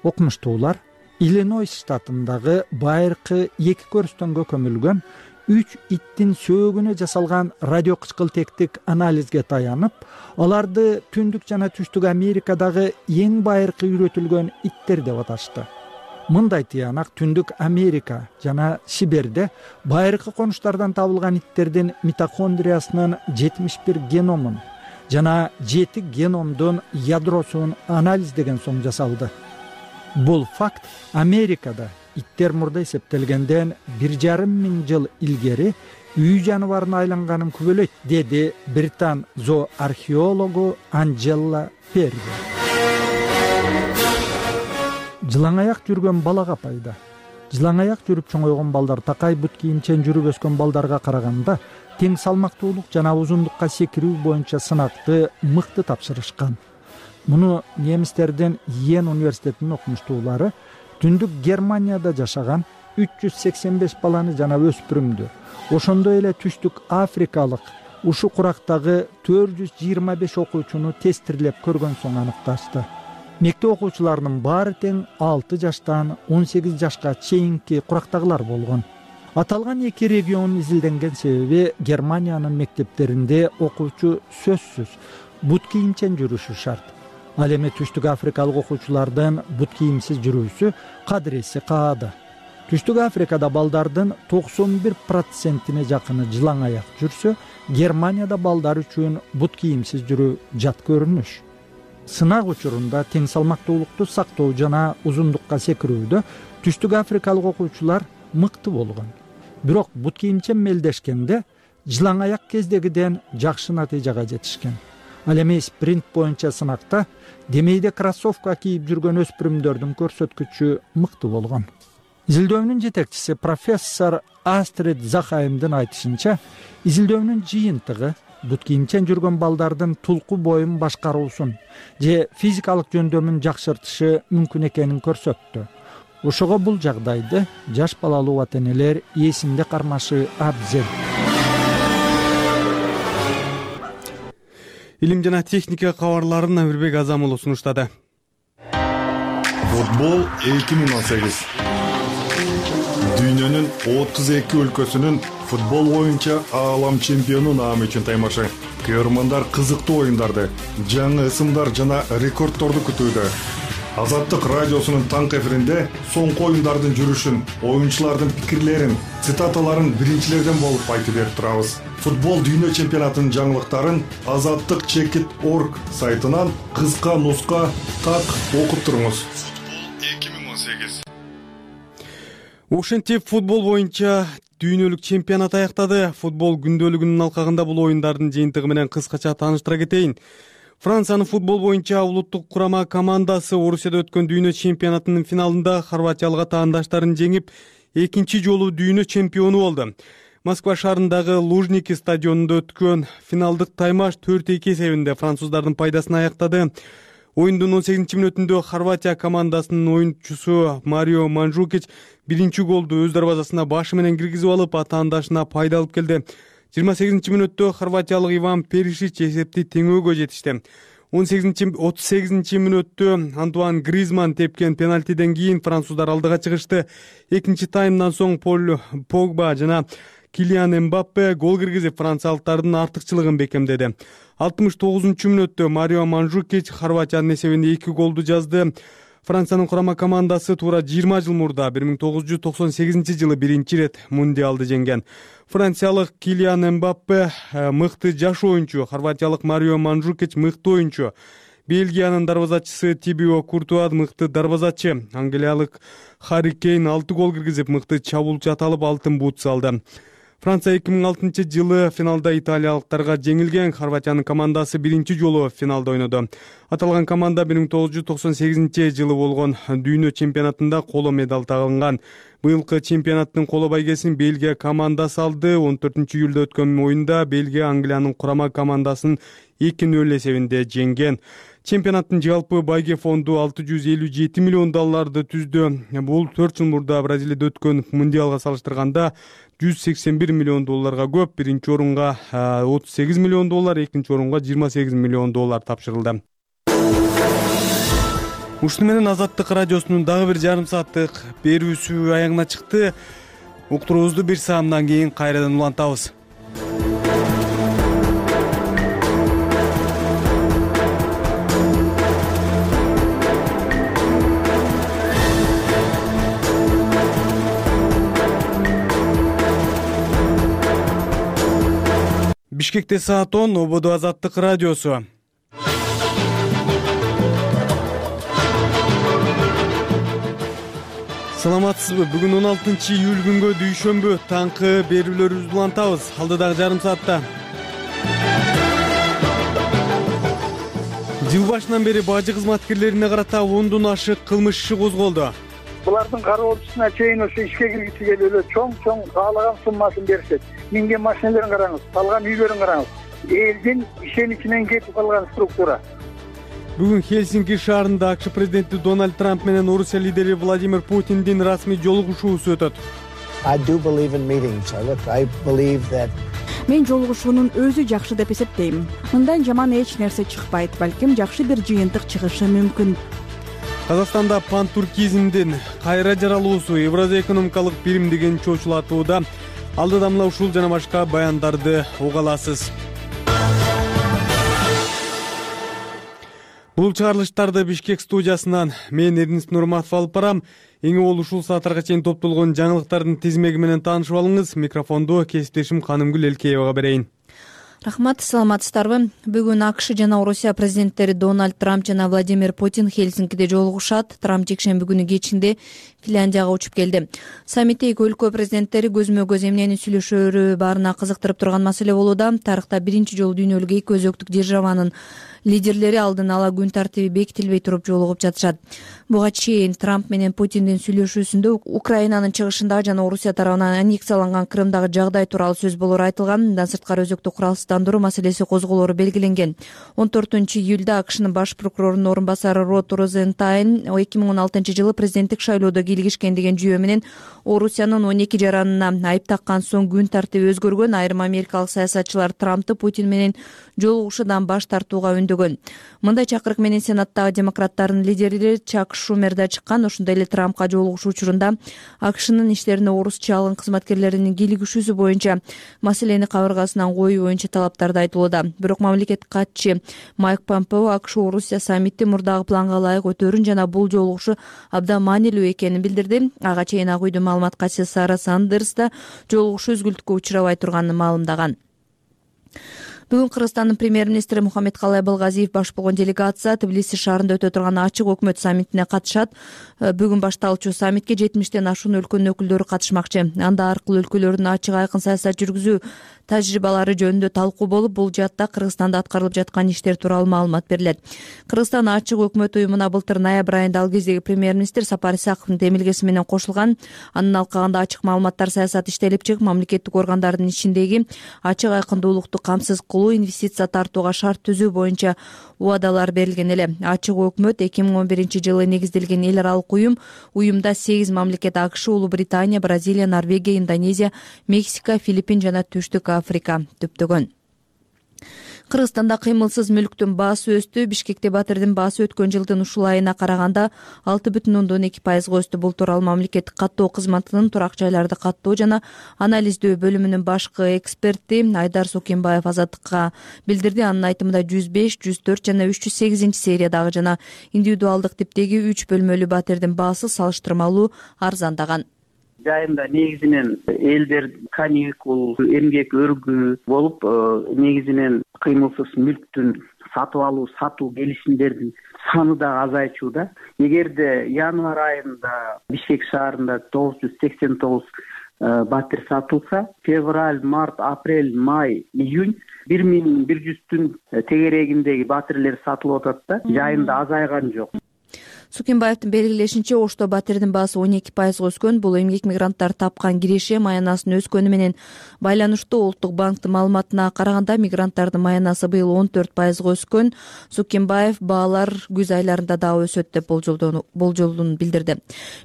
Окумуштуулар Иллинойс штатындагы байыркы эки көрүстөнгө көмүлгөн үч иттин сөөгүнө жасалган радиокычкылтектик анализге таянып, аларды Түндүк жана Түштүк Америкадагы эң байыркы үйрөтүлгөн иттер деп аташты. Мындай тыянак Түндүк Америка жана Сибирде байыркы конуштардан табылган иттердин митохондриясынын жетимиш бир геномун жана жети геномдун ядросун анализдеген соң жасалды. Бул факт Америкада иттер мурда эсептелгенден бир жарым миң жыл илгери үй жаныбарына айланганын күбөлөйт, деди британ зооархеологу Анжела Перри. Жылаңаяк жүргөн балага пайда. Жылаңаяк жүрүп чоңойгон балдар такай бут кийимчен жүрүп өскөн балдарга караганда тең салмактуулук жана узундукка секирүү боюнча сынакты мыкты тапшырышкан. Муну немистердин Йен университетинин окумуштуулары Түндүк Германияда жашаган үч жүз сексен беш баланы жана өспүрүмдү, ошондой эле Түштүк Африкалык ушу курактагы төрт жүз жыйырма беш окуучуну тестирлеп көргөн соң аныкташты. Мектеп окуучуларынын баары тең алты жаштан он сегиз жашка чейинки курактагылар болгон. Аталган эки регион изилденген себеби Германиянын мектептеринде окуучу сөзсүз бут кийимчен жүрүшү шарт. Ал эми Түштүк Африкалык окуучулардын бут кийимсиз жүрүүсү кадыреси каады. Түштүк Африкада балдардын токсон бир процентине жакыны жылаңаяк жүрсө, Германияда балдар үчүн бут кийимсиз жүрүү жат көрүнүш. Сынак учурунда тең салмактуулукту сактоо жана узундукка секирүүдө Түштүк Африкалык окуучулар мыкты болгон. Бирок бут кийимчен мелдешкенде жылаңаяк кездегиден жакшы натыйжага жетишкен. Ал эми спринт боюнча сынакта демейде кроссовка кийип жүргөн өспүрүмдөрдүн көрсөткүчү мыкты болгон. Изилдөөнүн жетекчиси профессор Астрид Захаймдын айтышынча, изилдөөнүн жыйынтыгы бут кийимчен жүргөн балдардын тулку боюн башкаруусун же физикалык жөндөмүн жакшыртышы мүмкүн экенин көрсөттү. Ошого бул жагдайды жаш балалуу ата-энелер эсинде кармашы абзел. Илим жана техника кабарларын Амирбек Азамулов сунуштады. Футбол эки миң он сегиз. Дүйнөнүн отуз эки өлкөсүнүн футбол боюнча аалам чемпиону наамы үчүн таймашы. Көрөрмандар кызыктуу оюндарды, жаңы ысымдар жана рекордторду күтүүдө. Азаттык радиосунун таңкы эфиринде соңку оюндардын жүрүшүн, оюнчулардын пикирлерин, цитаталарын биринчилерден болуп айтып берип турабыз. Футбол дүйнө чемпионатынын жаңылыктарын азаттык чекит точка орг сайтынан кыска нуска так окуп туруңуз. Футбол эки миң он сегиз. Ошентип футбол боюнча дүйнөлүк чемпионат аяктады. Футбол күндөлүгүнүн алкагында бул оюндардын жыйынтыгы менен кыскача тааныштыра кетейин. Франциянын футбол боюнча улуттук курама командасы Орусияда өткөн дүйнө чемпионатынын финалында хорватиялык атаандаштарын жеңип, экинчи жолу дүйнө чемпиону болду. Москва шаарындагы Лужники стадионунда өткөн финалдык таймаш төрт эки эсебинде француздардын пайдасына аяктады. Оюндун он сегизинчи мүнөтүндө Хорватия командасынын оюнчусу Марио Манжукич биринчи голду өз дарбазасына башы менен киргизип алып, атаандашына пайда алып келди. жыйырма сегизинчи мүнөттө хорватиялык Иван Перишич эсепти теңөөгө жетишти. он сегизинчи отуз сегизинчи мүнөттө Антуан Гризман тепкен пенальтиден кийин француздар алдыга чыгышты. Экинчи таймдан соң Пол Погба жана Килиан Эмбаппе гол киргизип франциялыктардын артыкчылыгын бекемдеди. алтымыш тогузунчу мүнөттө Марио Манжукич Хорватиянын эсебинде эки голду жазды. Франциянын курама командасы туура жыйырма жыл мурда бир миң тогуз жүз токсон сегизинчи жылы биринчи ирет мундиалды жеңген. Франциялык Килиан Эмбаппе мыкты жаш оюнчу, хорватиялык Марио Манжукич мыкты оюнчу. Бельгиянын дарбазачысы Тибио Куртуа мыкты дарбазачы. Англиялык Харри Кейн алты гол киргизип мыкты чабуулчу аталып алтын бут салды. Франция эки миң алтынчы жылы финалда италиялыктарга жеңилген. Хорватиянын командасы биринчи жолу финалда ойноду. Аталган команда бир миң тогуз жүз токсон сегизинчи жылы болгон дүйнө чемпионатында коло медаль тагылган. Быйылкы чемпионаттын коло байгесин Бельгия командасы алды. он төртүнчү июлда өткөн оюнда Бельгия Англиянын курама командасын эки нөл эсебинде жеңген. Чемпионаттын жалпы байге фонду алты жүз элүү жети миллион долларды түздү. Бул төрт жыл мурда Бразилияда өткөн мундиалга салыштырганда жүз сексен бир миллион долларга көп. Биринчи орунга отуз сегиз миллион доллар, экинчи орунга жыйырма сегиз миллион доллар тапшырылды. Ушуну менен Азаттык радиосунун дагы бир жарым сааттык берүүсү аягына чыкты. Уктуруубузду бир саамдан кийин кайрадан улантабыз. Бишкекте саат он, ободо Азаттык радиосу. Саламатсызбы? Бүгүн он алтынчы июль күнгө дүйшөмбү таңкы берүүлөрүбүздү улантабыз. Алдыдагы жарым саатта. Жыл башынан бери бажы кызматкерлерине карата ондон ашык кылмыш иши козголду. Булардын кароочусуна чейин ошо ишке киргиси келип эле чоң-чоң каалаган суммасын беришет. Минген машиналарын караңыз, салган үйлөрүн караңыз. Элдин ишеничинен кетип калган структура. Бүгүн Хельсинки шаарында АКШ президенти Дональд Трамп менен Орусия лидери Владимир Путиндин расмий жолугушуусу өтөт. Мен жолугушуунун өзү жакшы деп эсептейм. Мындан жаман эч нерсе чыкпайт, балким жакшы бир жыйынтык чыгышы мүмкүн. Казакстанда пантуркизмдин кайра жаралуусу Евразия экономикалык бирим деген чочулатууда. Алдыда мына ушул жана башка баяндарды уга аласыз. Бул чыгарылыштарды Бишкек студиясынан мен Эрнис Нурматов алып барам. Эң ол ушул сааттарга чейин топтолгон жаңылыктардын тизмеги менен таанышып алыңыз. Микрофонду кесиптешим Канымгүл Элкеевага берейин. Рахмат, саламатсыздарбы? Бүгүн АКШ жана Орусия президенттери Дональд Трамп жана Владимир Путин Хельсинкиде жолугушат. Трамп жекшемби күнү кечинде Финляндияга учуп келди. Саммитте эки өлкө президенттери көзмө-көз эмнени сүйлөшөрү баарына кызыктырып турган маселе болууда. Тарыхта биринчи жолу дүйнөлүк эки өзөктүк державанын лидерлери алдын ала күн тартиби бекитилбей туруп жолугуп жатышат. Буга чейин Трамп менен Путиндин сүйлөшүүсүндө Украинанын чыгышындагы жана Орусия тарабынан аннексияланган Крымдагы жагдай тууралуу сөз болору айтылган. Мындан сырткары өзөктү куралсыздандыруу маселеси козголору белгиленген. он төртүнчү июлда АКШнын баш прокурорунун орун басары Род Розентайн эки миң он алтынчы жылы президенттик шайлоодо кийлигишкен деген жүйө менен Орусиянын он эки жаранына айып таккан соң күн тартиби өзгөргөн. Айрым америкалык саясатчылар Трампты Путин менен жолугушуудан баш тартууга үндөгөн. Мындай чакырык менен Сенаттагы демократтардын лидери Чак Шумер да чыккан. Ошондой эле Трампка жолугушуу учурунда АКШнын иштерине орусча алган кызматкерлеринин кийлигишүүсү боюнча маселени кабыргасынан коюу боюнча талаптарды айтылууда. Бирок мамлекет катчы Майк Помпео АКШ Орусия саммити мурдагы планга ылайык өтөрүн жана бул жолугушуу абдан маанилүү экенин билдирди. Ага чейин Ак үйдүн маалымат катчысы Сара Сандерс да жолугушуу үзгүлтүккө учурабай турганын маалымдаган. Бүгүн Кыргызстандын премьер-министри Мухаммедкалай Балгазиев баш болгон делегация Тбилиси шаарында өтө турган ачык өкмөт саммитине катышат. Бүгүн башталуучу саммитке жетимиштен ашуун өлкөнүн өкүлдөрү катышмакчы. Анда аркылуу өлкөлөрдүн ачык айкын саясат жүргүзүү тажрыйбалары жөнүндө талкуу болуп, бул жаатта Кыргызстанда аткарылып жаткан иштер тууралуу маалымат берилет. Кыргызстан ачык өкмөт уюмуна былтыр ноябрь айында ал кездеги премьер-министр Сапар Исаковдун демилгеси менен кошулган. Анын алкагында ачык маалыматтар саясаты иштелип чыгып, мамлекеттик органдардын ичиндеги ачык айкындуулукту камсыз кылуу, инвестиция тартууга шарт түзүү боюнча убадалар берилген эле. Ачык өкмөт эки миң он биринчи жылы негизделген эл аралык уюм. Уюмда сегиз мамлекет АКШ, Улуу Британия, Бразилия, Норвегия, Индонезия, Мексика, Филиппин жана Түштүк Африка түптөгөн. Кыргызстанда кыймылсыз мүлктүн баасы өстү. Бишкекте батирдин баасы өткөн жылдын ушул айына караганда алты бүтүн ондон эки пайызга өстү. Бул тууралуу мамлекеттик каттоо кызматынын турак жайларды каттоо жана анализдөө бөлүмүнүн башкы эксперти Айдар Сокенбаев Азаттыкка билдирди. Анын айтымында жүз беш, жүз төрт жана үч жүз сегизинчи сериядагы жана индивидуалдык типтеги үч бөлмөлүү батирдин баасы салыштырмалуу арзандаган. Жайында негизинен элдер каникул, эмгек өргүү болуп, негизинен кыймылсыз мүлктүн сатып алуу, сатуу келишимдердин саны да азайчууда. Эгерде январь айында Бишкек шаарында тогуз жүз сексен тогуз батир сатылса, февраль, март, апрель, май, июнь бир миң бир жүздүн тегерегиндеги батирлер сатылып атат да, жайында азайган жок. Сукимбаевдин белгилешинче, Ошто батирдин баасы он эки пайызга өскөн. Бул эмгек мигранттар тапкан киреше маянасынын өскөнү менен байланыштуу. Улуттук банктын маалыматына караганда мигранттардын маянасы быйыл он төрт пайызга өскөн. Сукимбаев баалар күз айларында дагы өсөт деп болжолун билдирди.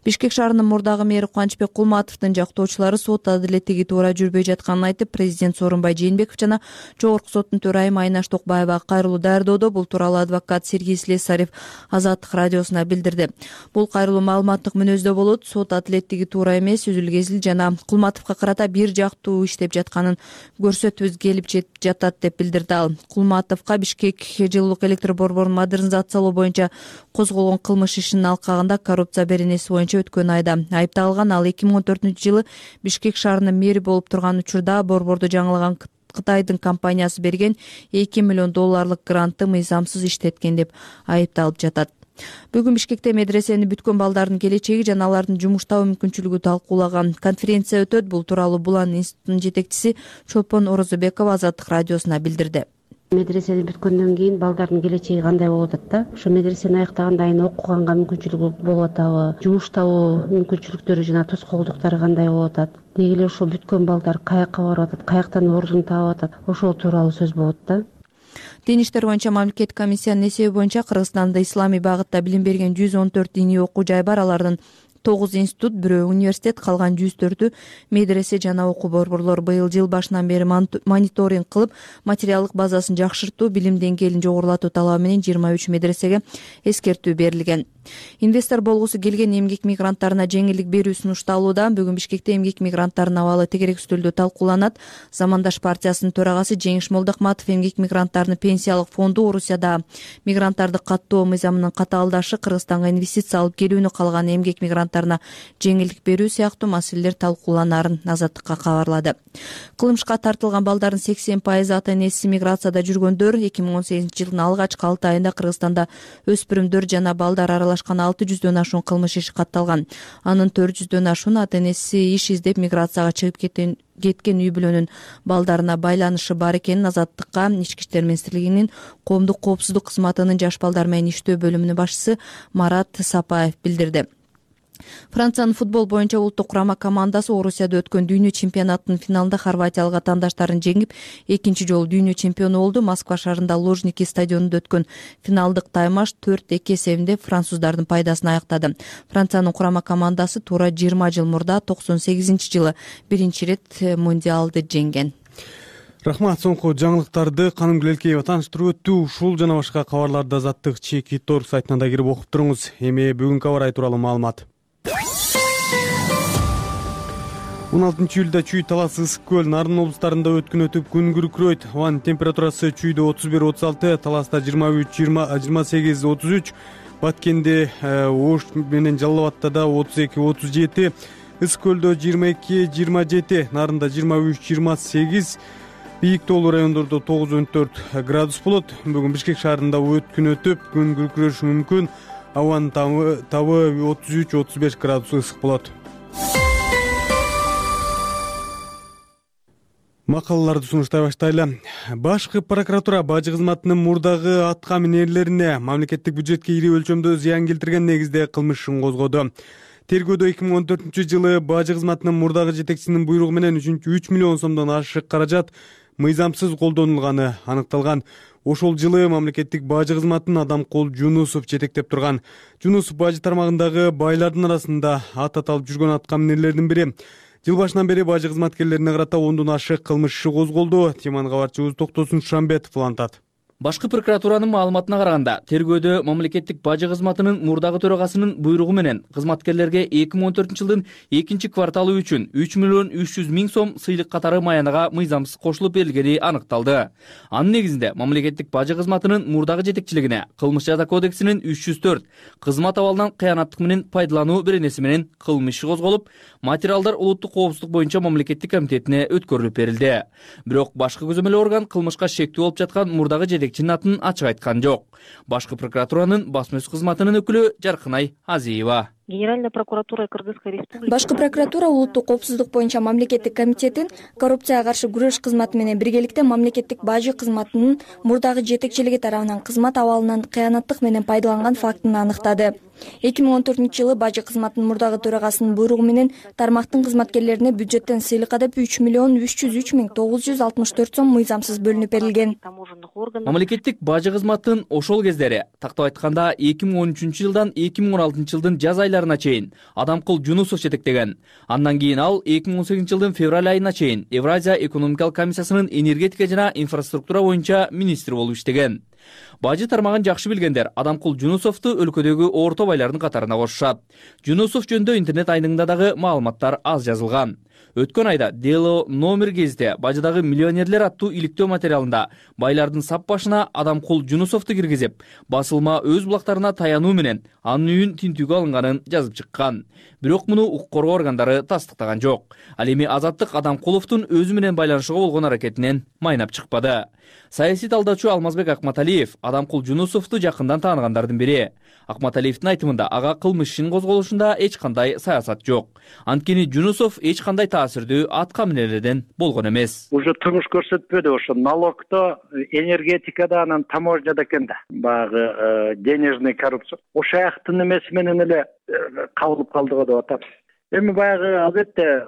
Бишкек шаарынын мурдагы мэри Кубанычбек Кулматовдун жактоочулары сот адилеттиги туура жүрбөй жатканын айтып, президент Сооронбай Жээнбеков жана Жогорку соттун төрайымы Айнаш Токбаева кайрылуу даярдоодо. Бул тууралуу адвокат Сергей Слесарев Азаттык радиосуна билдирди. Бул кайрылуу маалыматтык мүнөздө болот. Сот адилеттиги туура эмес, үзүл-кезил жана Кулматовго карата бир жактуу иштеп жатканын көрсөтүбүз келип жатат деп билдирди ал. Кулматовго Бишкек жылуулук электр борборун модернизациялоо боюнча козголгон кылмыш ишинин алкагында коррупция беренеси боюнча өткөн айда айыпталган. Ал эки миң он төртүнчү жылы Бишкек шаарынын мэри болуп турган учурда борборду жаңылаган Кытайдын компаниясы берген эки миллион долларлык грантты мыйзамсыз иштеткен деп айыпталып жатат. Бүгүн Бишкекте медресени бүткөн балдардын келечеги жана алардын жумуштабы мүмкүнчүлүгү талкуулаган конференция өтөт. Бул тууралуу Булан институтунун жетекчиси Чолпон Орозобекова Азаттык радиосуна билдирди. Медресени бүткөндөн кийин балдардын келечеги кандай болуп атат да? Ошо медресени аяктагандан кийин окуганга мүмкүнчүлүгү болуп атабы? Жумуштабы мүмкүнчүлүктөрү жана тоскоолдуктары кандай болуп атат? Деги эле ошо бүткөн балдар каяка барып атат, каяктан ордун таап атат? Ошол тууралуу сөз болот да. Дин иштер боюнча мамлекеттик комиссиянын эсеби боюнча Кыргызстанда исламий багытта билим берген жүз он төрт диний окуу жай бар. Алардын тогуз институт, бирөө университет, калган жүз төртү медресе жана окуу борборлор. Быйыл жыл башынан бери мониторинг кылып, материалдык базасын жакшыртуу, билим деңгээлин жогорулатуу талабы менен жыйырма үч медресеге эскертүү берилген. Инвестор болгусу келген эмгек мигранттарына жеңилдик берүү сунушталууда. Бүгүн Бишкекте эмгек мигранттарынын абалы тегерек үстөлдө талкууланат. Замандаш партиясынын төрагасы Жеңиш Молдохматов эмгек мигранттарынын пенсиялык фонду Орусияда мигранттарды каттоо мыйзамынын катаалдашы, Кыргызстанга инвестиция алып келүүнү калган эмгек мигранттарына жеңилдик берүү сыяктуу маселелер талкууланарын Азаттыкка кабарлады. Кылмышка тартылган балдардын сексен пайызы ата-энеси миграцияда жүргөндөр. эки миң он сегизинчи жылдын алгачкы алты айында Кыргызстанда өспүрүмдөр жана балдар аралашкан алты жүздөн ашуун кылмыш иши катталган. Анын төрт жүздөн ашуун ата-энеси иш издеп миграцияга чыгып кеткен кеткен үй бүлөнүн балдарына байланышы бар экенин Азаттыкка Ички иштер министрлигинин коомдук коопсуздук кызматынын жаш балдар менен иштөө бөлүмүнүн башчысы Марат Сапаев билдирди. Франциянын футбол боюнча улуттук курама командасы Орусияда өткөн дүйнө чемпионатынын финалында хорватиялык атаандаштарын жеңип, экинчи жолу дүйнө чемпиону болду. Москва шаарында Лужники стадионунда өткөн финалдык таймаш төрт эки эсебинде француздардын пайдасына аяктады. Франциянын курама командасы туура жыйырма жыл мурда токсон сегизинчи жылы биринчи ирет мундиалды жеңген. Рахмат. Соңку жаңылыктарды Канымгүл Элкеева тааныштырып өттү. Ушул жана башка кабарларды Азаттык чеки торг сайтына да кирип окуп туруңуз. Эми бүгүнкү аба ырайы тууралуу маалымат. он алтынчы июлда Чүй, Талас, Ысык көл, Нарын облустарында өткүн өтүп күн күркүрөйт. Абанын температурасы Чүйдө отуз бир отуз алты, Таласта жыйырма үч жыйырма сегиз отуз үч, Баткенде Ош менен Жалал Абадта да отуз эки отуз жети, Ысык көлдө жыйырма эки жыйырма жети, Нарында жыйырма үч жыйырма сегиз, бийик тоолуу райондордо тогуз он төрт градус болот. Бүгүн Бишкек шаарында өткүн өтүп күн күркүрөшү мүмкүн. Абанын табы отуз үч отуз беш градус ысык болот. Макалаларды сунуштай баштайлы. Башкы прокуратура бажы кызматынын мурдагы атка минерлерине мамлекеттик бюджетке ири өлчөмдө зыян келтирген негизде кылмыш ишин козгоду. Тергөөдө эки миң он төртүнчү жылы бажы кызматынын мурдагы жетекчисинин буйругу менен үч миллион сомдон ашык каражат мыйзамсыз колдонулганы аныкталган. Ошол жылы мамлекеттик бажы кызматын Адамкол Жунусов жетектеп турган. Жунусов бажы тармагындагы байлардын арасында ат аталып жүргөн атка минерлердин бири. Жыл башынан бери бажы кызматкерлерине карата ондон ашык кылмыш иши козголду. Теманы кабарчыбыз Токтосун Шамбетов улантат. Башкы прокуратуранын маалыматына караганда, тергөөдө мамлекеттик бажы кызматынын мурдагы төрагасынын буйругу менен кызматкерлерге эки миң он төртүнчү жылдын экинчи кварталы үчүн үч миллион үч жүз миң сом сыйлык катары маянага мыйзамсыз кошулуп берилгени аныкталды. Анын негизинде мамлекеттик бажы кызматынын мурдагы жетекчилигине кылмыш жаза кодексинин үч жүз төрт кызмат абалынан кыянаттык менен пайдалануу беренеси менен кылмыш иши козголуп, материалдар улуттук коопсуздук боюнча мамлекеттик комитетине өткөрүлүп берилди. Бирок башкы көзөмөл орган кылмышка шектүү болуп жаткан мурдагы жетекчи атын ачык айткан жок. Башкы прокуратуранын басма сөз кызматынын өкүлү Жаркынай Азиева. Генеральная прокуратура Кыргызской Республики. Башкы прокуратура улуттук коопсуздук боюнча мамлекеттик комитетин коррупцияга каршы күрөш кызматы менен биргеликте мамлекеттик бажы кызматынын мурдагы жетекчилиги тарабынан кызмат абалынан кыянаттык менен пайдаланган фактын аныктады. эки миң он төртүнчү жылы бажы кызматынын мурдагы төрагасынын буйругу менен тармактын кызматкерлерине бюджеттен сыйлыкка деп үч миллион үч жүз үч миң тогуз жүз алтымыш төрт сом мыйзамсыз бөлүнүп берилген. Мамлекеттик бажы кызматынын ошол кездери, тактап айтканда эки миң он үчүнчү жылдан эки миң он алтынчы жылдын жаз айларына чейин Адамкул Жунусов жетектеген. Андан кийин ал эки миң он сегизинчи жылдын февраль айына чейин Евразия экономикалык комиссиясынын энергетика жана инфраструктура боюнча министр болуп иштеген. Бажы тармагын жакшы билгендер Адамкул Жунусовду өлкөдөгү орто байлардын катарына кошушат. Жунусов жөнүндө интернет айныңда дагы маалыматтар аз жазылган. Өткөн айда Дело номер гезите бажыдагы миллионерлер аттуу иликтөө материалында байлардын сап башына Адамкул Жунусовду киргизип, басылма өз булактарына таянуу менен анын үйүн тинтүүгө алынганын жазып чыккан. Бирок муну укук коргоо органдары тастыктаган жок. Ал эми Азаттык Адамкуловдун өзү менен байланышууга болгон аракетинен майнап чыкпады. Саясий талдаачу Алмазбек Акматалиев Адамкул Жунусовду жакындан тааныгандардын бири. Акматалиевдин айтымында ага кылмыш ишин козголушунда эч кандай саясат жок. Анткени Жунусов эч кандай таасирдүү атка минелерден болгон эмес. Уже турмуш көрсөтпөдү, ошо налогдо, энергетикада, анан таможняда экен да. Баягы денежный коррупция. Ошол жактын эмеси менен эле кабылып калды го деп атам. Эми баягы албетте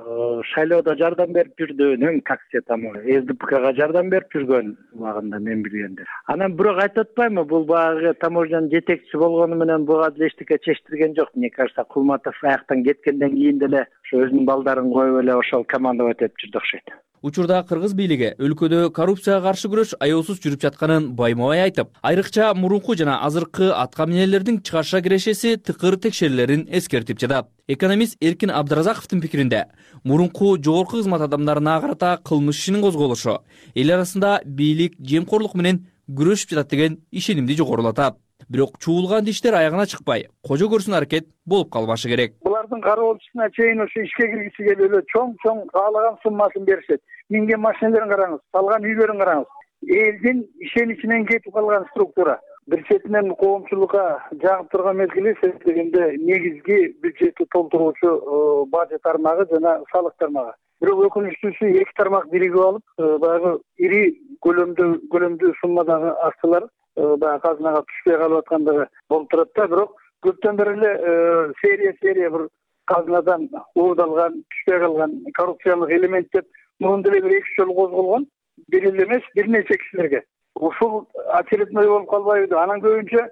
шайлоодо жардам берип жүрдү, эми как все там СДПКга жардам берип жүргөн убагында мен билгенде. Анан бирок айтып атпаймынбы, бул баягы таможнянын жетекчиси болгону менен буга деле эчтеке чечтирген жок. Мне кажется, Кулматов аяктан кеткенден кийин деле ошо өзүнүн балдарын коюп эле ошол командовать этип жүрдү окшойт. Учурда кыргыз бийлиги өлкөдө коррупцияга каршы күрөш аеосуз жүрүп жатканын байма-бай айтып, айрыкча мурунку жана азыркы атка минелердин чыгарша кирешеси тыкыр текшерүүлөрүн эскертип жатат. Экономист Эркин Абдыразаковдун пикиринде, мурунку жогорку кызмат адамдарына карата кылмыш ишинин козголушу эл арасында бийлик жемкорлук менен күрөшүп жатат деген ишенимди жогорулатат. Бирок чуулган иштер аягына чыкпай, кожо көрсүн аракет болуп калбашы керек. Булардын кароолчусуна чейин ошо ишке киргиси келип эле чоң-чоң каалаган суммасын беришет. Минген машиналерин караңыз, салган үйлөрүн караңыз. Элдин ишеничинен кетип калган структура. Бир четинен коомчулукка жагып турган мезгили дегенде негизги бюджетти толтуруучу бажы тармагы жана салык тармагы. Бирок өкүнүчтүүсү эки тармак биригип алып, баягы ири көлөмдө көлөмдүү суммадагы акчалар баягы казынага түшпөй калып аткандыгы болуп турат да. Бирок көптөн бери эле серия серия бир казынадан уурдалган, түшпөй калган коррупциялык элемент деп мурун деле бир эки жолу козголгон. Бир эле эмес, бир нече кишилерге. Ушул очередной болуп калбайбы? Анан көбүнчө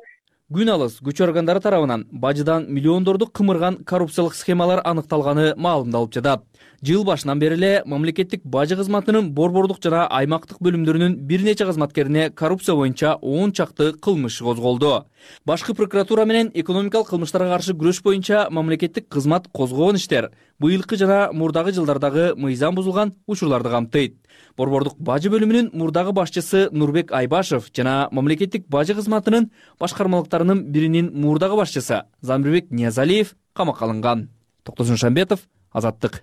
Күн алыс күч органдары тарабынан бажыдан миллиондорду кымырган коррупциялык схемалар аныкталганы маалымдалып жатат. Жыл башынан бери эле мамлекеттик бажы кызматынын борбордук жана аймактык бөлүмдөрүнүн бир нече кызматкерине коррупция боюнча он чакты кылмыш козголду. Башкы прокуратура менен экономикалык кылмыштарга каршы күрөш боюнча мамлекеттик кызмат козгогон иштер быйылкы жана мурдагы жылдардагы мыйзам бузулган учурларды камтыйт. Борбордук бажы бөлүмүнүн мурдагы башчысы Нурбек Айбашев жана мамлекеттик бажы кызматынын башкармалыктарынын биринин мурдагы башчысы Замирбек Ниязалиев камакка алынган. Токтосун Шамбетов, Азаттык.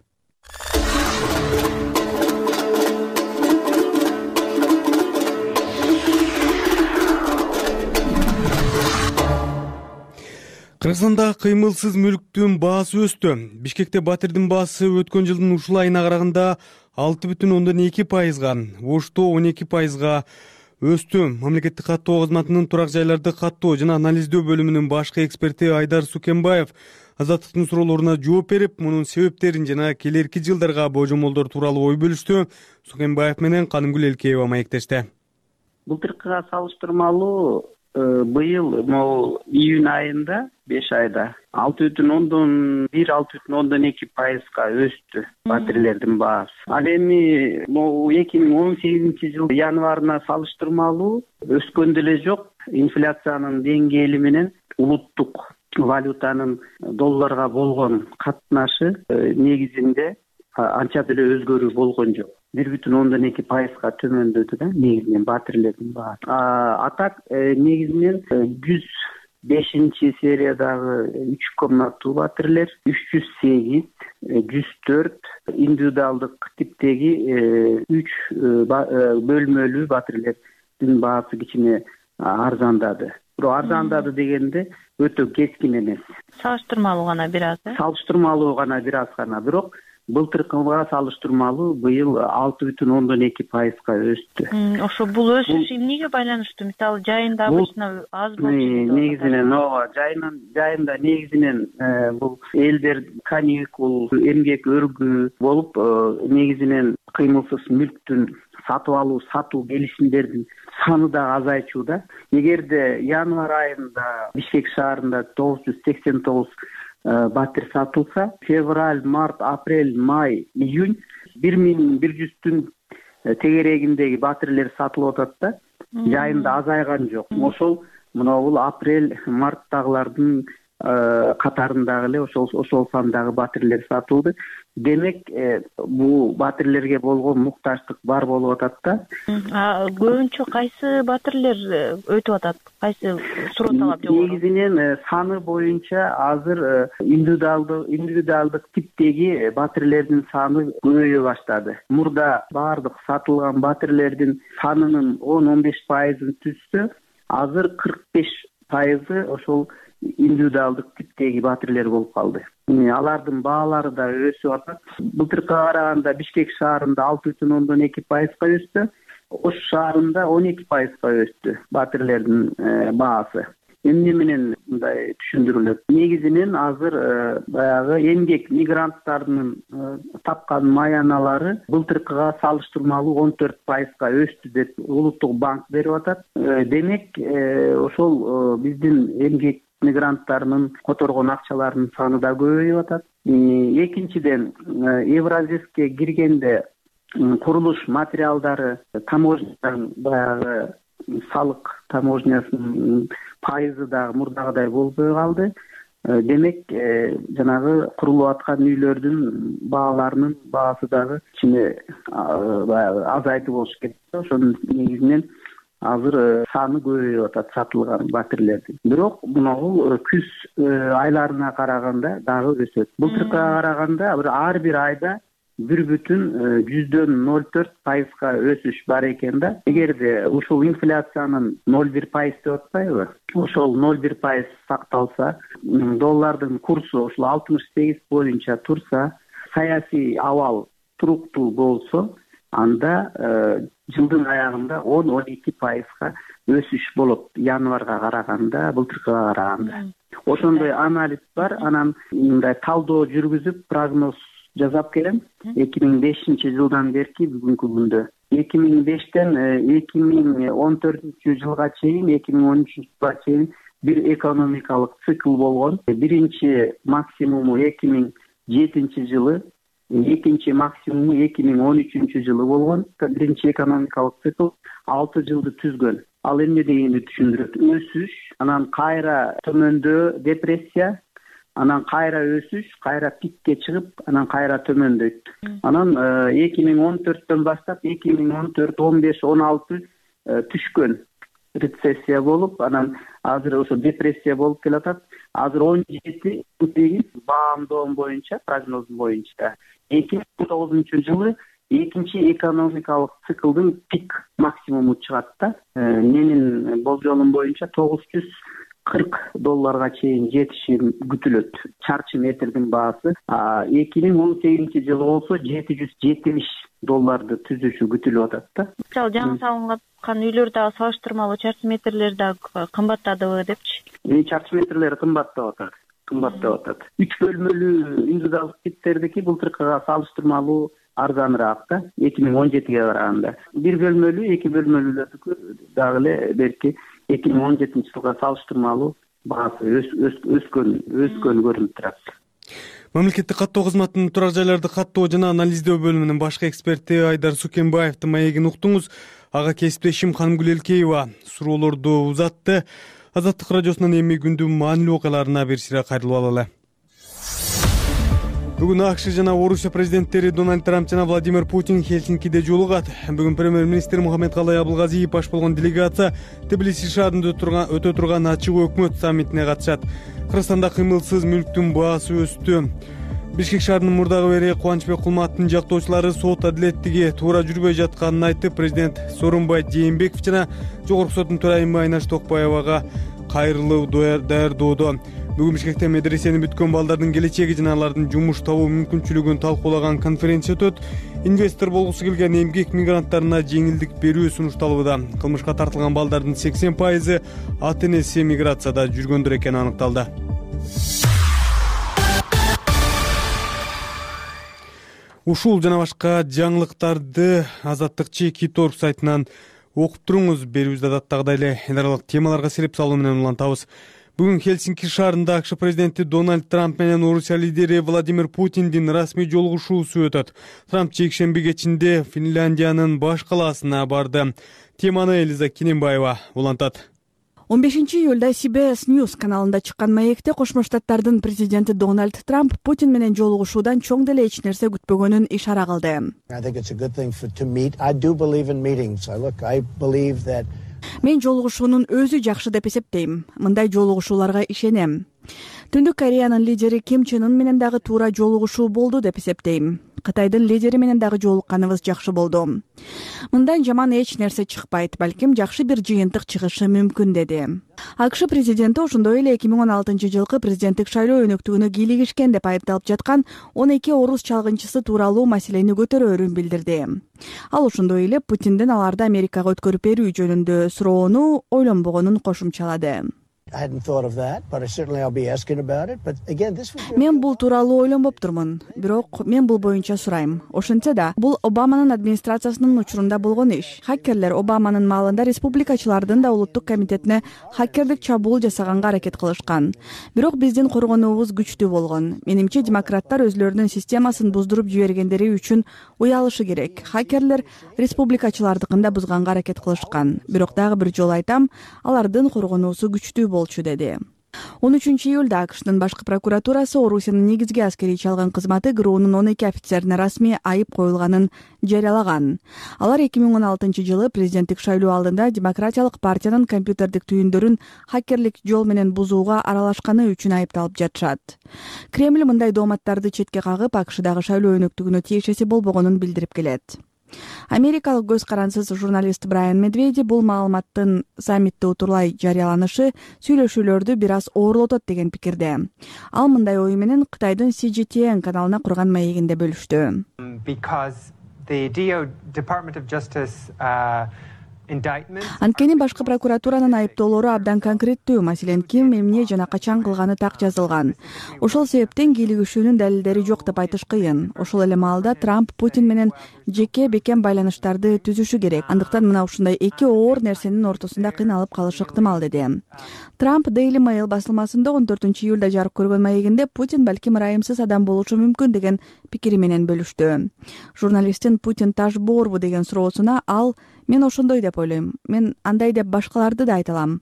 Кыргызстанда кыймылсыз мүлктүн баасы өстү. Бишкекте батирдин баасы өткөн жылдын ушул айына караганда алты бүтүн ондон эки пайызга, Ошто он эки пайызга өстү. Мамлекеттик каттоо кызматынын турак жайларды каттоо жана анализдөө бөлүмүнүн башкы эксперти Айдар Сукенбаев Азаттыктын суроолоруна жооп берип, мунун себептерин жана келерки жылдарга божомолдор тууралуу ой бөлүштү. Сукенбаев менен Канымгүл Элкеева маектешти. Былтыркыга салыштырмалуу быйыл могу июнь айында беш айда алты бүтүн ондон бир алты бүтүн ондон эки пайызга өстү батирлердин баасы. Ал эми могу эки миң он сегизинчи жыл январына салыштырмалуу өскөн деле жок. Инфляциянын деңгээли менен улуттук валютанын долларга болгон катнашы негизинде анча деле өзгөрүү болгон жок. бир бүтүн ондон эки пайызга төмөндөдү да негизинен батирлердин баасы. А так негизинен жүз бешинчи сериядагы үч комнаттуу батирлер, үч жүз сегиз, жүз төрт индивидуалдык типтеги үч бөлмөлүү батирлердин баасы кичине арзандады. бирок арзандады дегенде өтө кескин эмес, салыштырмалуу гана бир аз э салыштырмалуу гана бир аз гана. Бирок былтыркыга салыштырмалуу быйыл алты бүтүн ондон эки пайызга өстү. Ошо бул өсүш эмнеге байланыштуу? Мисалы жайында обычно аз болчу. Негизинен ооба жайынан жайында негизинен бул элдер каникул, эмгек өргүү болуп, негизинен кыймылсыз мүлктүн сатып алуу, сатуу келишимдердин саны да азайчууда. Эгерде январь айында Бишкек шаарында тогуз жүз сексен тогуз батир сатылса, февраль, март, апрель, май, июнь бир миң бир жүздүн тегерегиндеги батирлер сатылып атат да, жайында азайган жок. Ошол мына бул апрель, марттагылардын катарындагы эле ошол ошол сандагы батирлер сатылды. Демек, бул батирлерге болгон муктаждык бар болуп атат да. Көбүнчө кайсы батирлер өтүп атат? Кайсы суроо талап жогору? Негизинен саны боюнча азыр индивидуалдык индивидуалдык типтеги батирлердин саны көбөйө баштады. Мурда баардык сатылган батирлердин санынын он он беш пайызын түзсө, азыр кырк беш пайызы ошол индивидуалдык типтеги батирлер болуп калды. Алардын баалары да өсүп атат. Былтыркыга караганда Бишкек шаарында алты бүтүн ондон эки пайызга өстү, Ош шаарында он эки пайызга өстү батирлердин баасы. Эмне менен мындай түшүндүрүлөт? Негизинен азыр баягы эмгек мигранттардын тапкан маяналары былтыркыга салыштырмалуу он төрт пайызга өстү деп Улуттук банк берип атат. Демек, ошол биздин эмгек мигранттарынын которгон акчаларынын саны да көбөйүп атат. Экинчиден, Евразиске киргенде курулуш материалдары таможнядан баягы салык таможнясынын пайызы дагы мурдагыдай болбой калды. Демек, жанагы курулуп аткан үйлөрдүн бааларынын баасы дагы кичине баягы азайтып болуш керек. Ошонун негизинен азыр саны көбөйүп атат сатылган батирлердин. Бирок мына бул күз айларына караганда дагы өсөт. Былтыркыга караганда ар бир айда бир бүтүн жүздөн ноль төрт пайызга өсүш бар экен да. Эгерде ушул инфляциянын ноль бир пайыз деп атпайбы? Ошол ноль бир пайыз сакталса, доллардын курсу ушул алтымыш сегиз боюнча турса, саясий абал туруктуу болсо, анда жылдын аягында он он эки пайызга өсүш болот январга караганда, былтыркыга караганда. Ошондой анализ бар. Анан мындай талдоо жүргүзүп, прогноз жасап келем. эки миң бешинчи жылдан берки бүгүнкү күндө эки миң бештен эки миң он төртүнчү жылга чейин, эки миң он үчүнчү жылга чейин бир экономикалык цикл болгон. Биринчи максимуму эки миң жетинчи жылы, экинчи максимуму эки миң он үчүнчү жылы болгон. Биринчи экономикалык цикл алты жылды түзгөн. Ал эмне дегенди түшүндүрөт? Өсүш, анан кайра төмөндөө депрессия, анан кайра өсүш, кайра пикке чыгып, анан кайра төмөндөйт. Анан эки миң он төрттөн баштап эки миң он төрт, он беш, он алты түшкөн рецессия болуп, анан азыр ошо депрессия болуп келатат. Азыр он жети баамдоом боюнча, прогнозум боюнча эки миң он тогузунчу жылы экинчи экономикалык циклдын пик максимуму чыгат да. Менин болжолум боюнча тогуз жүз кырк долларга чейин жетиши күтүлөт чарчы метрдин баасы. эки миң он сегизинчи жылы болсо жети жүз жетимиш долларды түзүшү күтүлүп атат да. Мисалы жаңы салынган үйлөр дагы салыштырмалуу чарчы метрлер дагы кымбаттадыбы депчи? Чарчы метрлери кымбаттап атат. Кымбаттап атат. үч бөлмөлүү индивидуалдык типтердики былтыркыга салыштырмалуу арзаныраак да, эки миң он жетиге караганда. Бир бөлмөлүү, эки бөлмөлүүлөрдүкү дагы эле берки эки миң он жетинчи жылга салыштырмалуу баасы өскөн өскөн көрүнүп турат. Мамлекеттик каттоо кызматынын турак жайларды каттоо жана анализдөө бөлүмүнүн башкы эксперти Айдар Сукенбаевдин маегин уктуңуз. Ага кесиптешим Канымгүл Элкеева суроолорду узатты. Азаттык радиосунун эми күндүн маанилүү окуяларына бир сыйра кайрылып алалы. Бүгүн АКШ жана Орусия президенттери Дональд Трамп жана Владимир Путин Хельсинкиде жолугат. Бүгүн премьер-министр Мухаммедкалай Абылгазиев баш болгон делегация Тбилиси шаарында өтө турган ачык өкмөт саммитине катышат. Кыргызстанда кыймылсыз мүлктүн баасы өстү. Бишкек шаарынын мурдагы мэри Кубанычбек Кулматтын жактоочулары сот адилеттиги туура жүрбөй жатканын айтып, президент Сооронбай Жээнбеков жана Жогорку соттун төрайымы Айнаш Токпаевага кайрылуу даярдоодо. Бүгүн Бишкекте медресени бүткөн балдардын келечеги жана алардын жумуш табуу мүмкүнчүлүгүн талкуулаган конференция өтөт. Инвестор болгусу келген эмгек мигранттарына жеңилдик берүү сунушталууда. Кылмышка тартылган балдардын сексен пайызы ата энеси миграцияда жүргөндөр экени аныкталды. Ушул жана башка жаңылыктарды Азаттык Чеки Торг сайтынан окуп туруңуз. Берүүбүздө адаттагыдай эле эл аралык темаларга сереп салуу менен улантабыз. Бүгүн Хельсинки шаарында АКШ президенти Дональд Трамп менен Орусия лидери Владимир Путиндин расмий жолугушуусу өтөт. Трамп жекшемби кечинде Финляндиянын баш калаасына барды. Теманы Элиза Кененбаева улантат. он бешинчи июлда Си Би Эс News каналында чыккан маекте Кошмо Штаттардын президенти Дональд Трамп Путин менен жолугушуудан чоң деле эч нерсе күтпөгөнүн ишара кылды. Мен жолугушуунун өзү жакшы деп эсептейм. Мындай жолугушууларга ишенем. Түндүк Кореянын лидери Ким Чен Ын менен дагы туура жолугушуу болду деп эсептейм. Кытайдын лидери менен дагы жолукканыбыз жакшы болду. Мындан жаман эч нерсе чыкпайт, балким жакшы бир жыйынтык чыгышы мүмкүн, деди. АКШ президенти ошондой эле эки миң он алтынчы жылкы президенттик шайлоо өнөктүгүнө кийлигишкен деп айыпталып жаткан он эки орус чалгынчысы тууралуу маселени көтөрөөрүн билдирди. Ал ошондой эле Путиндин аларды Америкага өткөрүп берүү жөнүндө суроону ойлонбогонун кошумчалады. Мен бул тууралуу ойлонбоптурмун, бирок мен бул боюнча сурайм. Ошентсе да, бул Обаманын администрациясынын учурунда болгон иш. Хакерлер Обаманын маалында республикачылардын да улуттук комитетине хакердик чабуул жасаганга аракет кылышкан. Бирок биздин коргонуубуз күчтүү болгон. Менимче демократтар өзлөрүнүн системасын буздуруп жибергендери үчүн уялышы керек. Хакерлер республикачылардыкын да бузганга аракет кылышкан. Бирок дагы бир жолу айтам, алардын коргонуусу күчтүү болчу, деди. он үчүнчү июлда АКШтын башкы прокуратурасы Орусиянын негизги аскерий чалган кызматы ГРУнун он эки офицерине расмий айып коюлганын жарыялаган. Алар эки миң он алтынчы жылы президенттик шайлоо алдында Демократиялык партиянын компьютердик түйүндөрүн хакерлик жол менен бузууга аралашканы үчүн айыпталып жатышат. Кремль мындай дооматтарды четке кагып, АКШдагы шайлоо өнөктүгүнө тиешеси болбогонун билдирип келет. Америкалык көз карансыз журналист Брайан Медведи бул маалыматтын саммитте утурлай жарыяланышы сүйлөшүүлөрдү бир аз оорлотот деген пикирде. Ал мындай ою менен Кытайдын Си Джи Ти Эн каналына курган маегинде бөлүштү. Анткени башкы прокуратуранын айыптоолору абдан конкреттүү, маселен, ким, эмне жана качан кылганы так жазылган. Ошол себептен кийлигишүүнүн далилдери жок деп айтыш кыйын. Ошол эле маалда Трамп Путин менен жеке бекем байланыштарды түзүшү керек. Андыктан мына ушундай эки оор нерсенин ортосунда кыйналып калышы ыктымал, деди. Трамп Daily Mail басылмасында он төртүнчү июлда жарык көргөн маегинде Путин балким ырайымсыз адам болушу мүмкүн деген пикири менен бөлүштү. Журналисттин Путин таш боорбу деген суроосуна ал: мен ошондой деп ойлойм. Мен андай деп башкаларды да айта алам.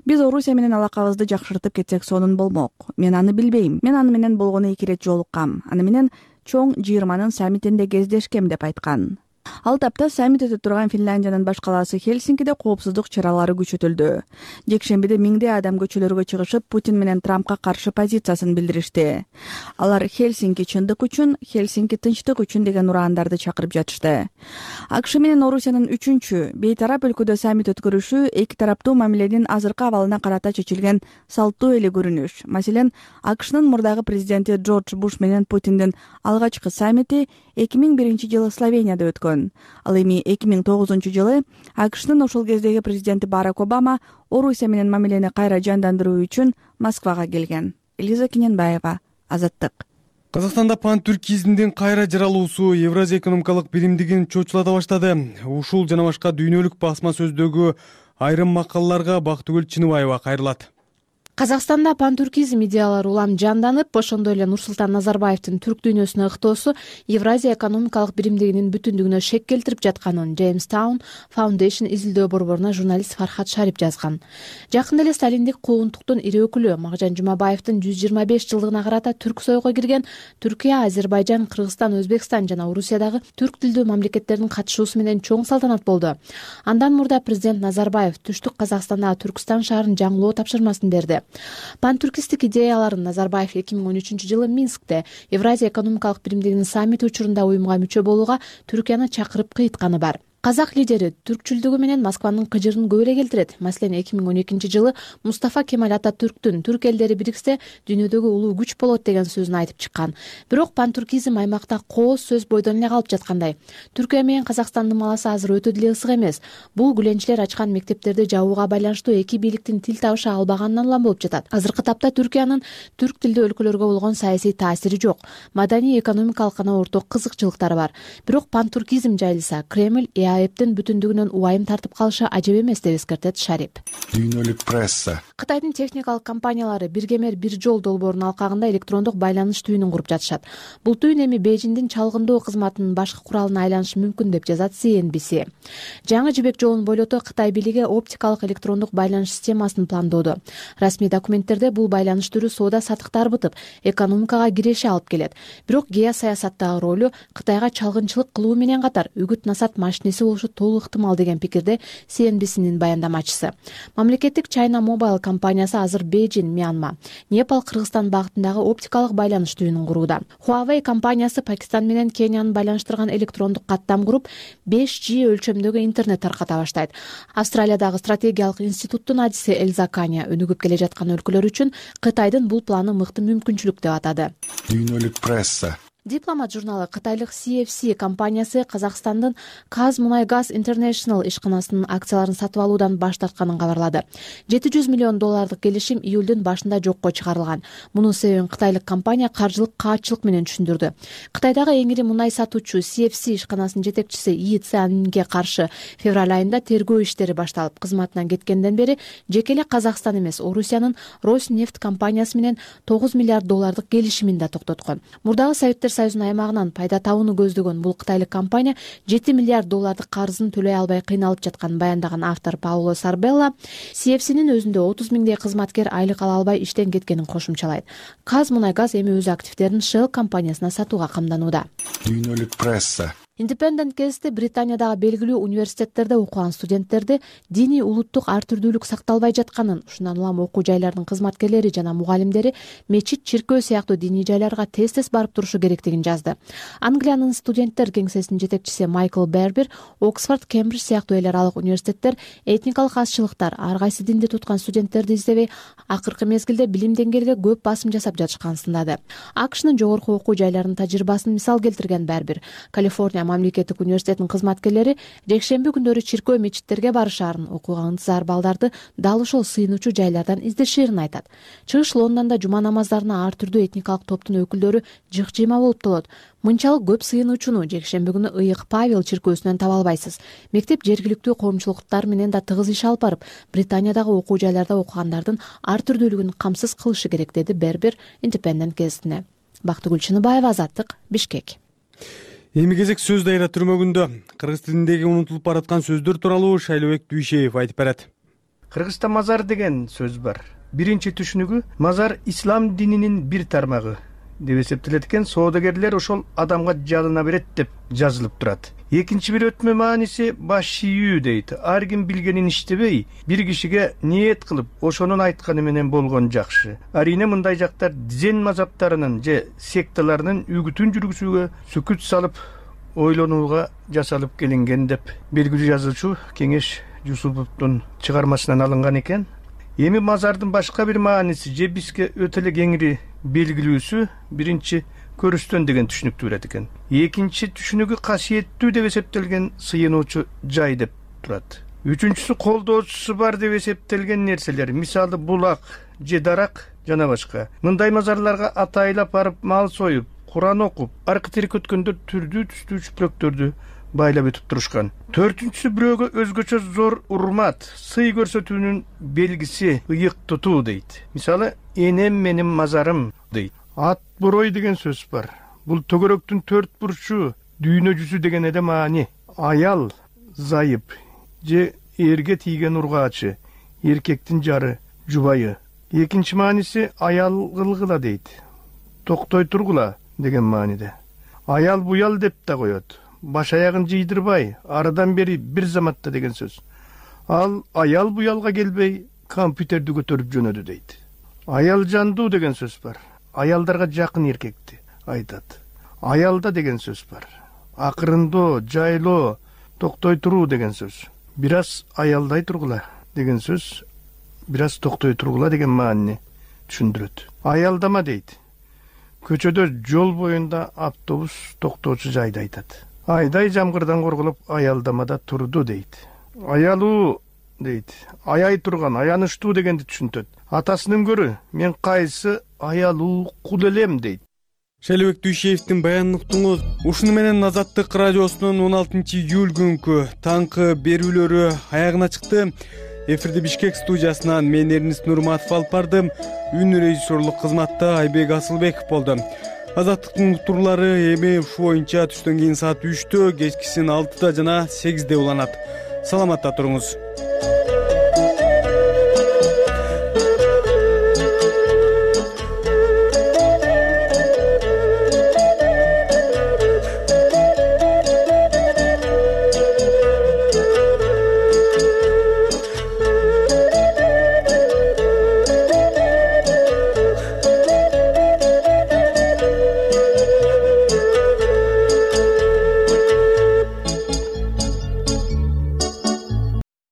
Биз Орусия менен алакабызды жакшыртып кетсек сонун болмок. Мен аны билбейм. Мен аны менен болгону эки ирет жолуккам. Аны менен чоң жыйырманын саммитинде кездешкем деп айткан. Ал тапта саммит өтүп турган Финляндиянын баш калаасы Хельсинкиде коопсуздук чаралары күчөтүлдү. Жекшембиде миңдей адам көчөлөргө чыгышып, Путин менен Трампка каршы позициясын билдиришти. Алар Хельсинки чындык үчүн, Хельсинки тынчтык үчүн деген ураандарды чакырып жатышты. АКШ менен Орусиянын үчүнчү бейтарап өлкөдө саммит өткөрүшү эки тараптуу мамиленин азыркы абалына карата чечилген салттуу эле көрүнүш. Маселен, АКШнын мурдагы президенти Джордж Буш менен Путиндин алгачкы саммити эки миң биринчи жылы Словенияда өткөн. Ал эми эки миң тогузунчу жылы АКШнын ошол кездеги президенти Барак Обама Орусия менен мамилени кайра жандандыруу үчүн Москвага келген. Элиза Кененбаева, Азаттык. Казакстанда пан-түркизмдин кайра жаралуусу Евразия экономикалык биримдигин чочулата баштады. Ушул жана башка дүйнөлүк басма сөздөгү айрым макалаларга Бактыгүл Чыныбаева кайрылат. Казакстанда пантүркизм идеялары улам жанданып, ошондой эле Нурсултан Назарбаевдин түрк дүйнөсүнө ыктоосу Евразия экономикалык биримдигинин бүтүндүгүнө шек келтирип жатканын Jamestown Foundation изилдөө борборуна журналист Фархат Шарип жазган. Жакында эле сталиндик куугунтуктун ири өкүлү Макжан Жумабаевдин жүз жыйырма беш жылдыгына карата түрк сойго кирген Түркия, Азербайжан, Кыргызстан, Өзбекстан жана Орусиядагы түрк тилдүү мамлекеттердин катышуусу менен чоң салтанат болду. Андан мурда президент Назарбаев түштүк Казакстандагы Түркстан шаарын жаңылоо тапшырмасын берди. Пантүркистик идеяларын Назарбаев эки миң он үчүнчү жылы Минскте Евразия экономикалык биримдигинин саммити учурунда уюмга мүчө болууга Түркияны чакырып кыйтканы бар. казак лидери түркчүлдүгү менен Москванын кыжырын көп эле келтирет. Маселен, эки миң он экинчи жылы Мустафа Кемаль Ататүрктүн түрк элдери бириксе дүйнөдөгү улуу күч болот деген сөзүн айтып чыккан. Бирок пантүркизм аймакта кооз сөз бойдон эле калып жаткандай. Түркия менен Казакстандын маласы азыр өтө деле ысык эмес. Бул гүленчилер ачкан мектептерди жабууга байланыштуу эки бийликтин тил табыша албаганынан улам болуп жатат. Азыркы тапта Түркиянын түрк тилдүү өлкөлөргө болгон саясий таасири жок. Маданий, экономикалык гана орток кызыкчылыктары бар. Бирок пантүркизм жайылса, Кремль ЭАЭптин бүтүндүгүнөн убайым тартып калышы ажеп эмес деп эскертет Шарип. Дүйнөлүк пресса. Кытайдын техникалык компаниялары биргемер бир жол долбоорунун алкагында электрондук байланыш түйүнүн куруп жатышат. Бул түйүн эми Бейжиңдин чалгындоо кызматынын башкы куралына айланышы мүмкүн деп жазат Си Эн Би Си. Жаңы жибек жолун бойлото Кытай бийлиги оптикалык электрондук байланыш системасын пландоодо. Расмий документтерде бул байланыш түрү соода саттыкты арбытып, экономикага киреше алып келет. Бирок геосаясаттагы ролу Кытайга чалгынчылык кылуу менен катар үгүт насаат машинеси болушу толук ыктымал деген пикирде Си Эн Би Синин баяндамачысы. Мамлекеттик China Mobile компаниясы азыр Бейжиң, Мьянма, Непал, Кыргызстан багытындагы оптикалык байланыш түйүнүн курууда. Huawei компаниясы Пакистан менен Кенияны байланыштырган электрондук каттам куруп, беш джи өлчөмдөгү интернет тарката баштайт. Австралиядагы стратегиялык институттун адиси Элза Каня өнүгүп келе жаткан өлкөлөр үчүн Кытайдын бул планы мыкты мүмкүнчүлүк деп атады. Дүйнөлүк пресса. Дипломат журналы Кытайлык Си Эф Си компаниясы Казакстандын Казмунайгаз Интернешнл ишканасынын акцияларын сатып алуудан баш тартканын кабарлады. жети жүз миллион доллардык келишим июлдун башында жокко чыгарылган. Мунун себебин кытайлык компания каржылык каатчылык менен түшүндүрдү. Кытайдагы эң ири мунай сатуучу Си Эф Си ишканасынын жетекчиси И Цянге каршы февраль айында тергөө иштери башталып, кызматынан кеткенден бери жеке эле Казакстан эмес, Орусиянын Роснефть компаниясы менен тогуз миллиард доллардык келишимин да токтоткон. Мурдагы Советтер Союзунун аймагынан пайда табууну көздөгөн бул кытайлык компания жети миллиард доллардык карызын төлөй албай кыйналып жатканын баяндаган автор Пауло Сарбелла Си Эф Синин өзүндө отуз миңдей кызматкер айлык ала албай иштен кеткенин кошумчалайт. Казмунайгаз эми өз активдерин Shell компаниясына сатууга камданууда. Дүйнөлүк пресса. Independent кезде Британиядагы белгилүү университеттерде окуган студенттерди диний улуттук ар түрдүүлүк сакталбай жатканын, ушундан улам окуу жайлардын кызматкерлери жана мугалимдери мечит, чиркөө сыяктуу диний жайларга тез-тез барып турушу керектигин жазды. Англиянын студенттер кеңсесинин жетекчиси Майкл Бербер Оксфорд, Кембридж сыяктуу эл аралык университеттер этникалык азчылыктар, ар кайсы динди туткан студенттерди издебей, акыркы мезгилде билим деңгээлге көп басым жасап жатышканын сындады. АКШнын жогорку окуу жайларынын тажрыйбасын мисал келтирген Бербер, Калифорния мамлекеттик университетинин кызматкерлери жекшемби күндөрү чиркөө мечиттерге барышаарын, окууга ынтызар балдарды дал ошол сыйынуучу жайлардан издешерин айтат. Чыгыш Лондондо жума намаздарына ар түрдүү этникалык топтун өкүлдөрү жык-жыйма болуп толот. Мынчалык көп сыйынуучуну жекшемби күнү Ыйык Павел чиркөөсүнөн таба албайсыз. Мектеп жергиликтүү коомчулуктар менен да тыгыз иш алып барып, Британиядагы окуу жайларда окугандардын ар түрдүүлүгүн камсыз кылышы керек, деди Бербер Independent гезитине. Бактыгүл Чыныбаева, Азаттык, Бишкек. Эми кезек сөз дайра түрмөгүндө. Кыргыз тилиндеги унутулуп бараткан сөздөр тууралуу Шайлообек Дүйшеев айтып берет. Кыргызда мазар деген сөз бар. Биринчи түшүнүгү мазар ислам дининин бир тармагы деп эсептелет экен. Соодагерлер ошол адамга жалына берет деп жазылып турат. Экинчи бир өтмө мааниси баш ийүү дейт. Ар ким билгенин иштебей, бир кишиге ниет кылып, ошонун айтканы менен болгон жакшы. Арине мындай жактар дзен мазаптарынын же секталарынын үгүтүн жүргүзүүгө сүкүт салып, ойлонууга жасалып келинген деп белгилүү жазуучу Кеңеш Жусуповдун чыгармасынан алынган экен. Эми мазардын башка бир мааниси же бизге өтө эле кеңири белгилүүсү биринчи көрүстөн деген түшүнүктү берет экен. Экинчи түшүнүгү касиеттүү деп эсептелген сыйынуучу жай деп турат. Үчүнчүсү колдоочусу бар деп эсептелген нерселер, мисалы булак же дарак жана башка. Мындай мазарларга атайлап барып мал союп, Куран окуп, аркы терек өткөндөр түрдүү түстүү чүплөктөрдү байлап өтүп турушкан. Төртүнчүсү бирөөгө өзгөчө зор урмат, сый көрсөтүүнүн белгиси ыйык тутуу дейт. Мисалы, энем менин мазарым дейт. Ат борой деген сөз бар. Бул төгөрөктүн төрт бурчу, дүйнө жүзү деген эле маани. Аял, зайып же эрге тийген ургаачы, эркектин жары, жубайы. Экинчи мааниси аял кылгыла дейт. Токтой тургула деген мааниде. Аял буял деп да коет. Баш аягын жыйдырбай, арыдан бери бир заматта деген сөз. Ал аял буялга келбей, компьютерди көтөрүп жөнөдү дейт. Аял жандуу деген сөз бар. Аялдарга жакын эркекти айтат. Аялда деген сөз бар. Акырындоо, жайлоо, токтой туруу деген сөз. Бир аз аялдай тургула деген сөз бир аз токтой тургула деген маанини түшүндүрөт. Аялдама дейт. Көчөдө жол боюнда автобус токтоочу жайды айтат. Айдай жамгырдан корголуп аялдамада турду дейт. Аялуу дейт. Аяй турган, аянычтуу дегенди түшүнтөт. Атасынан көрө мен кайсы аялуу кул элем дейт. Шайлебек Дүйшеевдин баянын уктуңуз. Ушуну менен Азаттык радиосунун он алтынчы июль күнкү таңкы берүүлөрү аягына чыкты. Эфирди Бишкек студиясынан мен Эрнист Нурматов алып бардым. Үн режиссерлук кызматта Айбек Асылбеков болду. Азаттыктын уктуруулары эми ушу боюнча түштөн кийин саат үчтө, кечкисин алтыда жана сегизде уланат. Саламатта туруңуз.